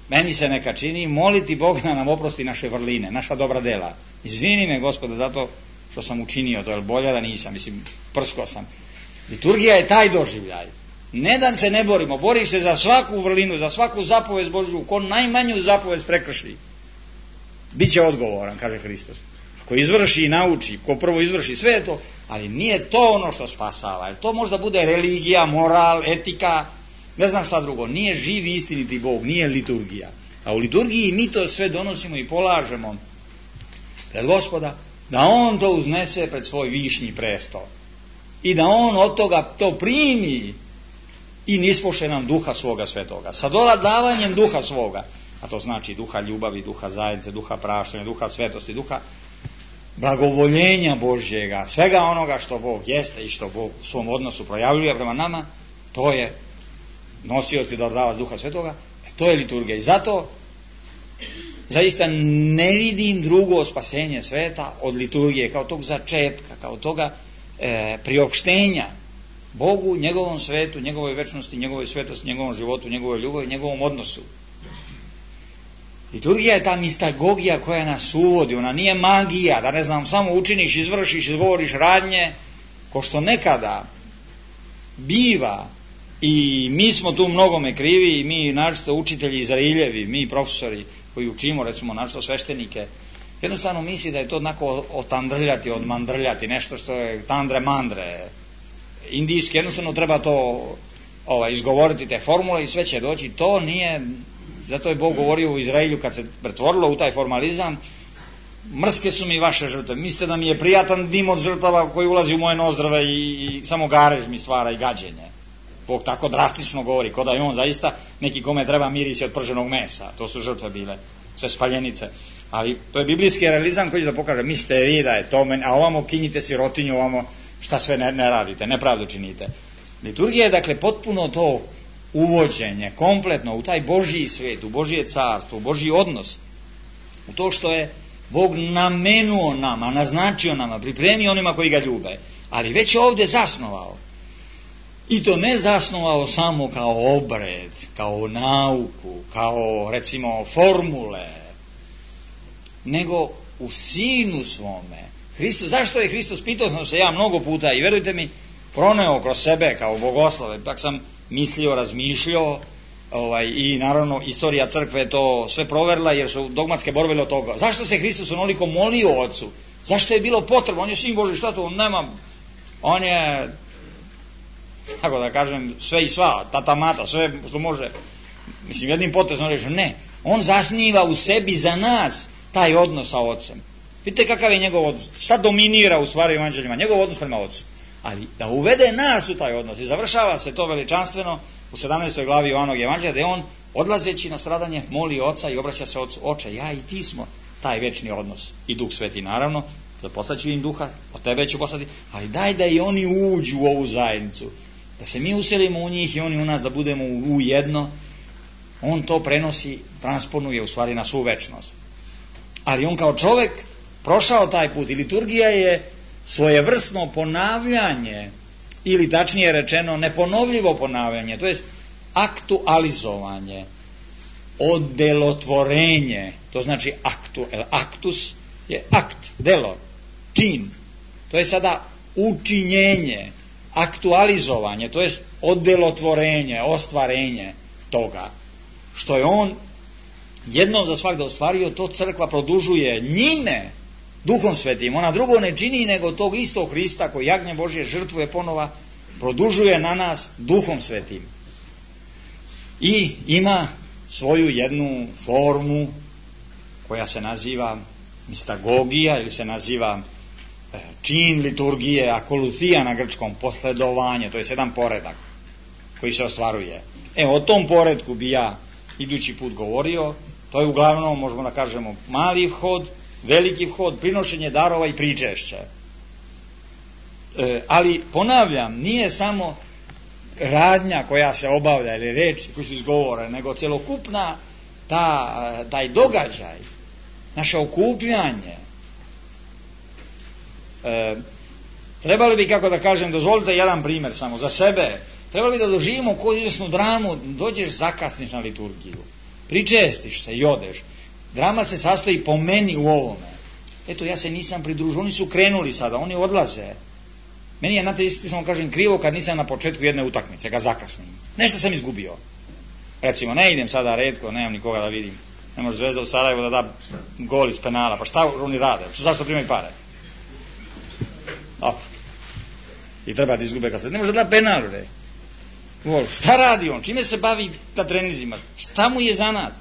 meni se neka čini, moliti Bog da nam oprosti naše vrline, naša dobra dela. Izvini me, Gospode, zato što sam učinio to, jer bolje da nisam, mislim, prsko sam. Liturgija je taj doživljaj. Ne da se ne borimo, bori se za svaku vrlinu, za svaku zapovest Božju, ko najmanju zapovest prekrši, bit će odgovoran, kaže Hristos. Ako izvrši i nauči, ko prvo izvrši, sve je to, ali nije to ono što spasava, jer to možda bude religija, moral, etika, ne znam šta drugo, nije živi istiniti Bog, nije liturgija. A u liturgiji mi to sve donosimo i polažemo pred Gospoda, da On to uznese pred svoj višnji presto i da On od toga to primi i nispoše nam duha svoga svetoga, sa davanjem duha svoga, a to znači duha ljubavi, duha zajednice, duha praštanja, duha svetosti, duha blagovoljenja Božjega, svega onoga što Bog jeste i što Bog u svom odnosu projavljuje prema nama, to je nosioci da odava duha svetoga, to je liturgija. I zato zaista ne vidim drugo spasenje sveta od liturgije, kao tog začetka, kao toga priopštenja Bogu, njegovom svetu, njegovoj večnosti, njegovoj svetosti, njegovom životu, njegovoj ljubavi, njegovom odnosu. Liturgija je ta mistagogija koja nas uvodi, ona nije magija, da ne znam, samo učiniš, izvršiš, izgovoriš radnje, ko što nekada biva, i mi smo tu mnogome krivi, i mi naročito učitelji Izrailjevi, mi profesori koji učimo, recimo naročito sveštenike, jednostavno misli da je to onako otandrljati, odmandrljati, nešto što je tandre mandre, indijski, jednostavno treba to izgovoriti te formule i sve će doći. To nije, zato je Bog govorio u Izraelju kad se pretvorilo u taj formalizam, mrske su mi vaše žrtve, mislite da mi je prijatan dim od žrtava koji ulazi u moje nozdrave i samo garež mi stvara i gađenje. Bog tako drastično govori, kao da je on zaista neki kome treba mirisi od prženog mesa, to su žrtve bile, sve spaljenice. Ali to je biblijski realizam koji će da pokaže, mislite vi da je to, a ovamo kinjite sirotinju, ovamo šta sve ne radite, nepravdu činite. Liturgija je dakle potpuno to uvođenje, kompletno u taj Božji svet, u Božje carstvo, u Božji odnos, u to što je Bog namenuo nama, naznačio nama, pripremio onima koji ga ljube, ali već je ovdje zasnovao. I to ne zasnovao samo kao obred, kao nauku, kao recimo formule, nego u sinu svome. Zašto je Hristos, pitao sam se ja mnogo puta i verujte mi, proneo kroz sebe kao bogoslove, tak sam mislio, razmišljao, i naravno istorija crkve je to sve proverila jer su dogmatske borbe od toga. Zašto se Hristos onoliko molio Otcu? Zašto je bilo potrebno? On je sin Božji, šta to? On nema, on je, tako da kažem, sve i sva, tata mata, sve što može, mislim jednim potezom reći, ne, on zasniva u sebi za nas taj odnos sa Otcem. Vidite kakav je njegov odnos, sad dominira u stvari evanđeljima, njegov odnos prema Otcu, ali da uvede nas u taj odnos i završava se to veličanstveno u 17. glavi Jovanovog evanđelja, da je on odlazeći na stradanje moli Oca i obraća se Otcu, Oče, ja i ti smo taj večni odnos, i Duh Sveti naravno, da poslaću im Duha, od tebe ću poslati, ali daj da i oni uđu u ovu zajednicu, da se mi uselimo u njih i oni u nas, da budemo u jedno. On to prenosi, transponuje u stvari na svu večnost. Ali on kao čovjek prošao taj put i liturgija je svojevrsno ponavljanje, ili tačnije rečeno neponovljivo ponavljanje, to jest aktualizovanje, odelotvorenje, to znači aktus je akt, delo, čin, to je sada učinjenje, aktualizovanje, to jest odelotvorenje, ostvarenje toga, što je on jednom za svakda ostvario, to crkva produžuje njime, Duhom Svetim. Ona drugo ne čini nego tog istog Hrista koji jagnje Božje žrtvuje ponova, produžuje na nas Duhom Svetim. I ima svoju jednu formu koja se naziva mistagogija ili se naziva čin liturgije, akoluthija na grčkom, posledovanje, to je jedan poredak koji se ostvaruje. O tom poredku bi ja idući put govorio. To je uglavnom, možemo da kažemo, mali vhod, veliki vhod, prinošenje darova i pričešće. Ali ponavljam, nije samo radnja koja se obavlja ili reči koji su izgovore, nego celokupna taj događaj, naše okupljanje. Trebali bi, kako da kažem, dozvolite jedan primjer samo za sebe, trebali da doživimo koju izvesnu dramu, dođeš, zakasniš na liturgiju, pričestiš se i odeš. Drama se sastoji po meni u ovome. Eto, ja se nisam pridružio, oni su krenuli sada, oni odlaze. Meni je, znate, iskreno kažem, krivo kad nisam na početku jedne utakmice, ga zakasnim. Nešto sam izgubio. Recimo, ne idem sada retko, nemam nikoga da vidim. Ne može Zvezda u Sarajevo da da gol iz penala, pa šta oni rade? Zašto primaju pare? I treba da izgube kad se... Ne može da da penal, re. Šta radi on? Čime se bavi na trenizima? Šta mu je zanat?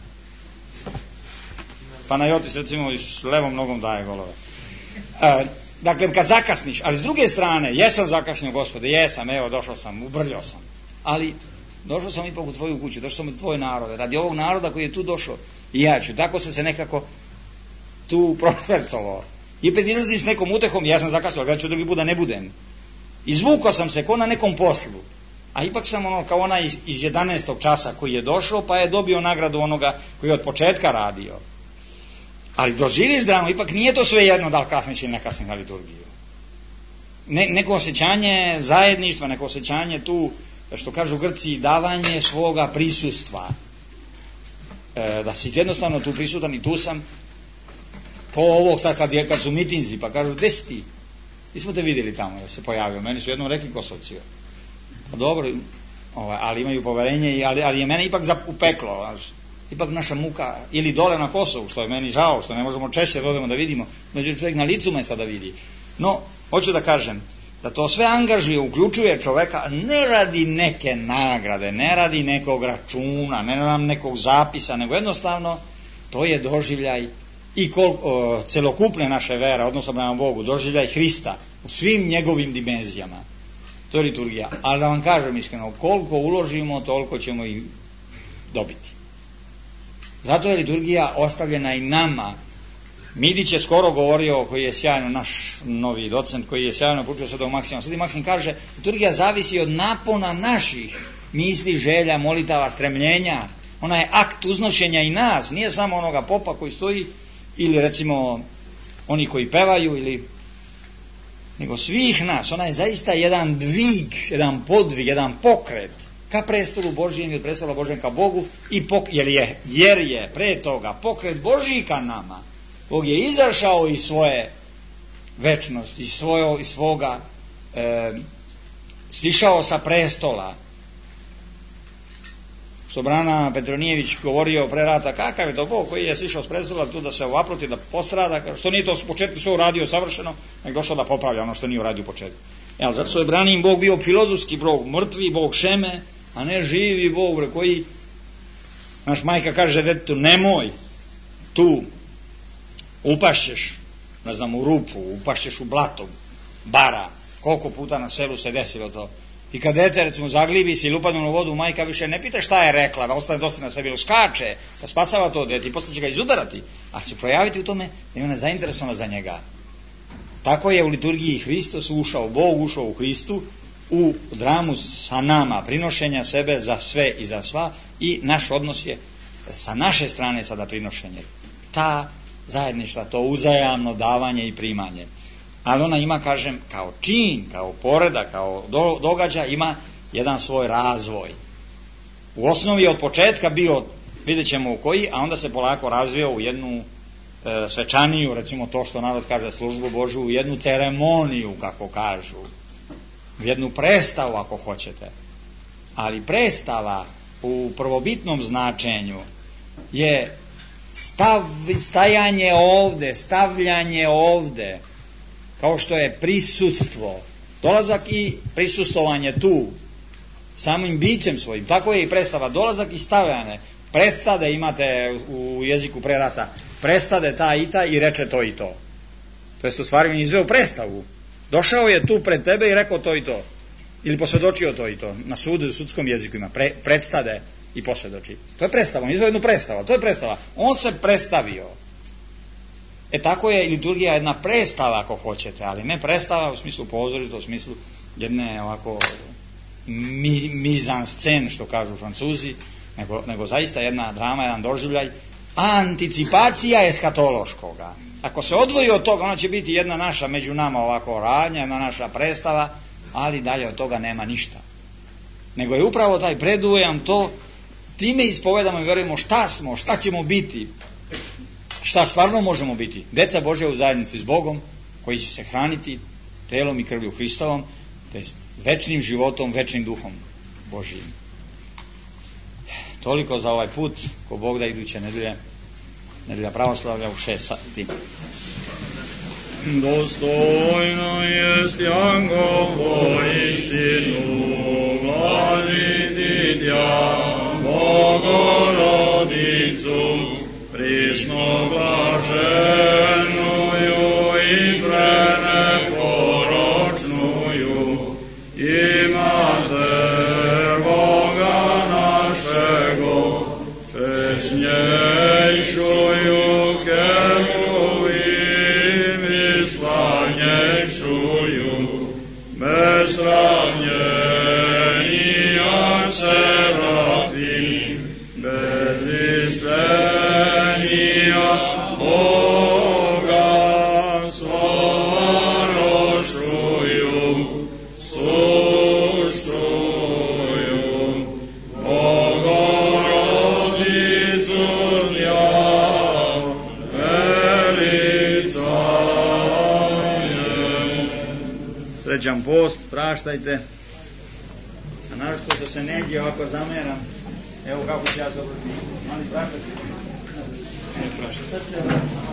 Panajotis recimo s levom nogom daje golove. Dakle, kad zakasniš, ali s druge strane, jesam zakasnio, Gospode, jesam, evo, došao sam, ubrljao sam, ali došao sam ipak u tvoju kuću, došao sam u tvoj narode, radi ovog naroda koji je tu došao, i ja ću, tako sam se nekako tu prošvercovao. I opet izlazim s nekom utehom, ja sam zakasnio, ali ja ću drugi put da ne budem. Izvukao sam se ko na nekom poslu, a ipak sam kao onaj iz 11. časa koji je došao, pa je dobio nagradu onoga koji je od početka radio. Ali doživiš dramu, ipak nije to sve jedno da li kasniš ili ne kasniš na liturgiju. Neko osjećanje zajedništva, neko osjećanje tu, što kažu Grci, davanje svoga prisustva. Da si jednostavno tu prisutan i tu sam. Ko ovog sad kad su mitinzi, pa kažu, gde si ti? Mi smo te vidjeli tamo, da se pojavio. Meni su jednom rekli Kosovci. Pa dobro, ali imaju poverenje, ali je mene ipak upeklo. Ipak naša muka, ili dole na Kosovu, što je meni žao, što ne možemo češće da odemo da vidimo, međutim čovjek na licu mesta da vidi. No, hoću da kažem, da to sve angažuje, uključuje čoveka, ne radi neke nagrade, ne radi nekog računa, ne radi nekog zapisa, nego jednostavno to je doživljaj i celokupne naše vere, odnosno prema Bogu, doživljaj Hrista u svim njegovim dimenzijama. To je liturgija. Ali da vam kažem iskreno, koliko uložimo, toliko ćemo i dobiti. Zato je liturgija ostavljena i nama. Midić je skoro govorio, koji je sjajno, naš novi docent, koji je sjajno poučio Svetog Maksima. Sveti Maksim kaže, liturgija zavisi od napona naših misli, želja, molitava, stremljenja. Ona je akt uznošenja i nas, nije samo onoga popa koji stoji, ili recimo oni koji pevaju, nego svih nas. Ona je zaista jedan dvig, jedan podvig, jedan pokret ka prestolu Božijem ili prestolu Božijem ka Bogu, jer je pre toga pokret Božiji ka nama. Bog je izašao iz svoje večnosti, iz svoga sišao sa prestola. Što Brana Petronijević govorio pre rata, kakav je to Bog koji je sišao s prestola tu da se ovaproti, da postrada, što nije to u početku sve uradio savršeno, nego došao da popravlja ono što nije uradio u početku. Zato što je Branin Bog bio filozofski Bog, mrtvi Bog Šeme, a ne živi Bog koji, naš majka kaže detetu, nemoj tu, upašćeš, ne znam, u rupu, upašćeš u blato, bara, koliko puta na selu se desilo to. I kad dete, recimo, zaglibi se ili upadne u vodu, majka više ne pita šta je rekla, da ostane dosta na sebi, ili skače, da spasava to dete i posle će ga izudarati, a će projaviti u tome da je ona zainteresovana za njega. Tako je u liturgiji Hristos ušao, Bog ušao u Hristu, u dramu sa nama, prinošenja sebe za sve i za sva, i naš odnos je sa naše strane sada prinošenje. Ta zajedništva, to uzajamno davanje i primanje. Ali ona ima, kažem, kao čin, kao poredak, kao događaj, ima jedan svoj razvoj. U osnovi od početka bio, vidjet ćemo u koji, a onda se polako razvio u jednu svečaniju, recimo to što narod kaže službu Božju, u jednu ceremoniju, kako kažu, u jednu predstavu, ako hoćete. Ali predstava u prvobitnom značenju je stajanje ovde, stavljanje ovde, kao što je prisutstvo, dolazak i prisustovanje tu, samim bićem svojim. Tako je i predstava, dolazak i stavljanje. Predstade imate u jeziku pre rata, prestade ta i ta i reče to i to. To jest u stvari on izveo predstavu. Došao je tu pred tebe i rekao to i to. Ili posvjedočio to i to. Na sudu, u sudskom jeziku ima predstade i posvjedoči. To je predstava, on izveo jednu predstavu. To je predstava. On se predstavio. Tako je liturgija jedna predstava, ako hoćete, ali ne predstava u smislu pozorišta, u smislu jedne ovako mizanscen, što kažu Francuzi, nego zaista jedna drama, jedan doživljaj, anticipacija eskatološkoga. Ako se odvoji od toga, ona će biti jedna naša među nama ovako radnja, jedna naša predstava, ali dalje od toga nema ništa. Nego je upravo taj predujam to, time ispovedamo i verujemo šta smo, šta ćemo biti, šta stvarno možemo biti. Deca Božja u zajednici s Bogom, koji će se hraniti telom i krvlju Hristovom, to jest večnim životom, večnim duhom Božijim. Toliko za ovaj put, ko Bog da iduće nedelja pravoslavlja u 6 sati. Dostojno jest Jangovo istinu glaziti tja, Bogorodicu, prisno blaženuju i preneporočnuju, i Mater Boga našego, česnjejšuju heruvim i slavnjejšuju, bez sravnjenija serafim, bez istenija Srećan post, praštajte. A našto što se negdje ovako zameram, evo kako ću ja dobro biti. Mali praštajte. Ne praštajte.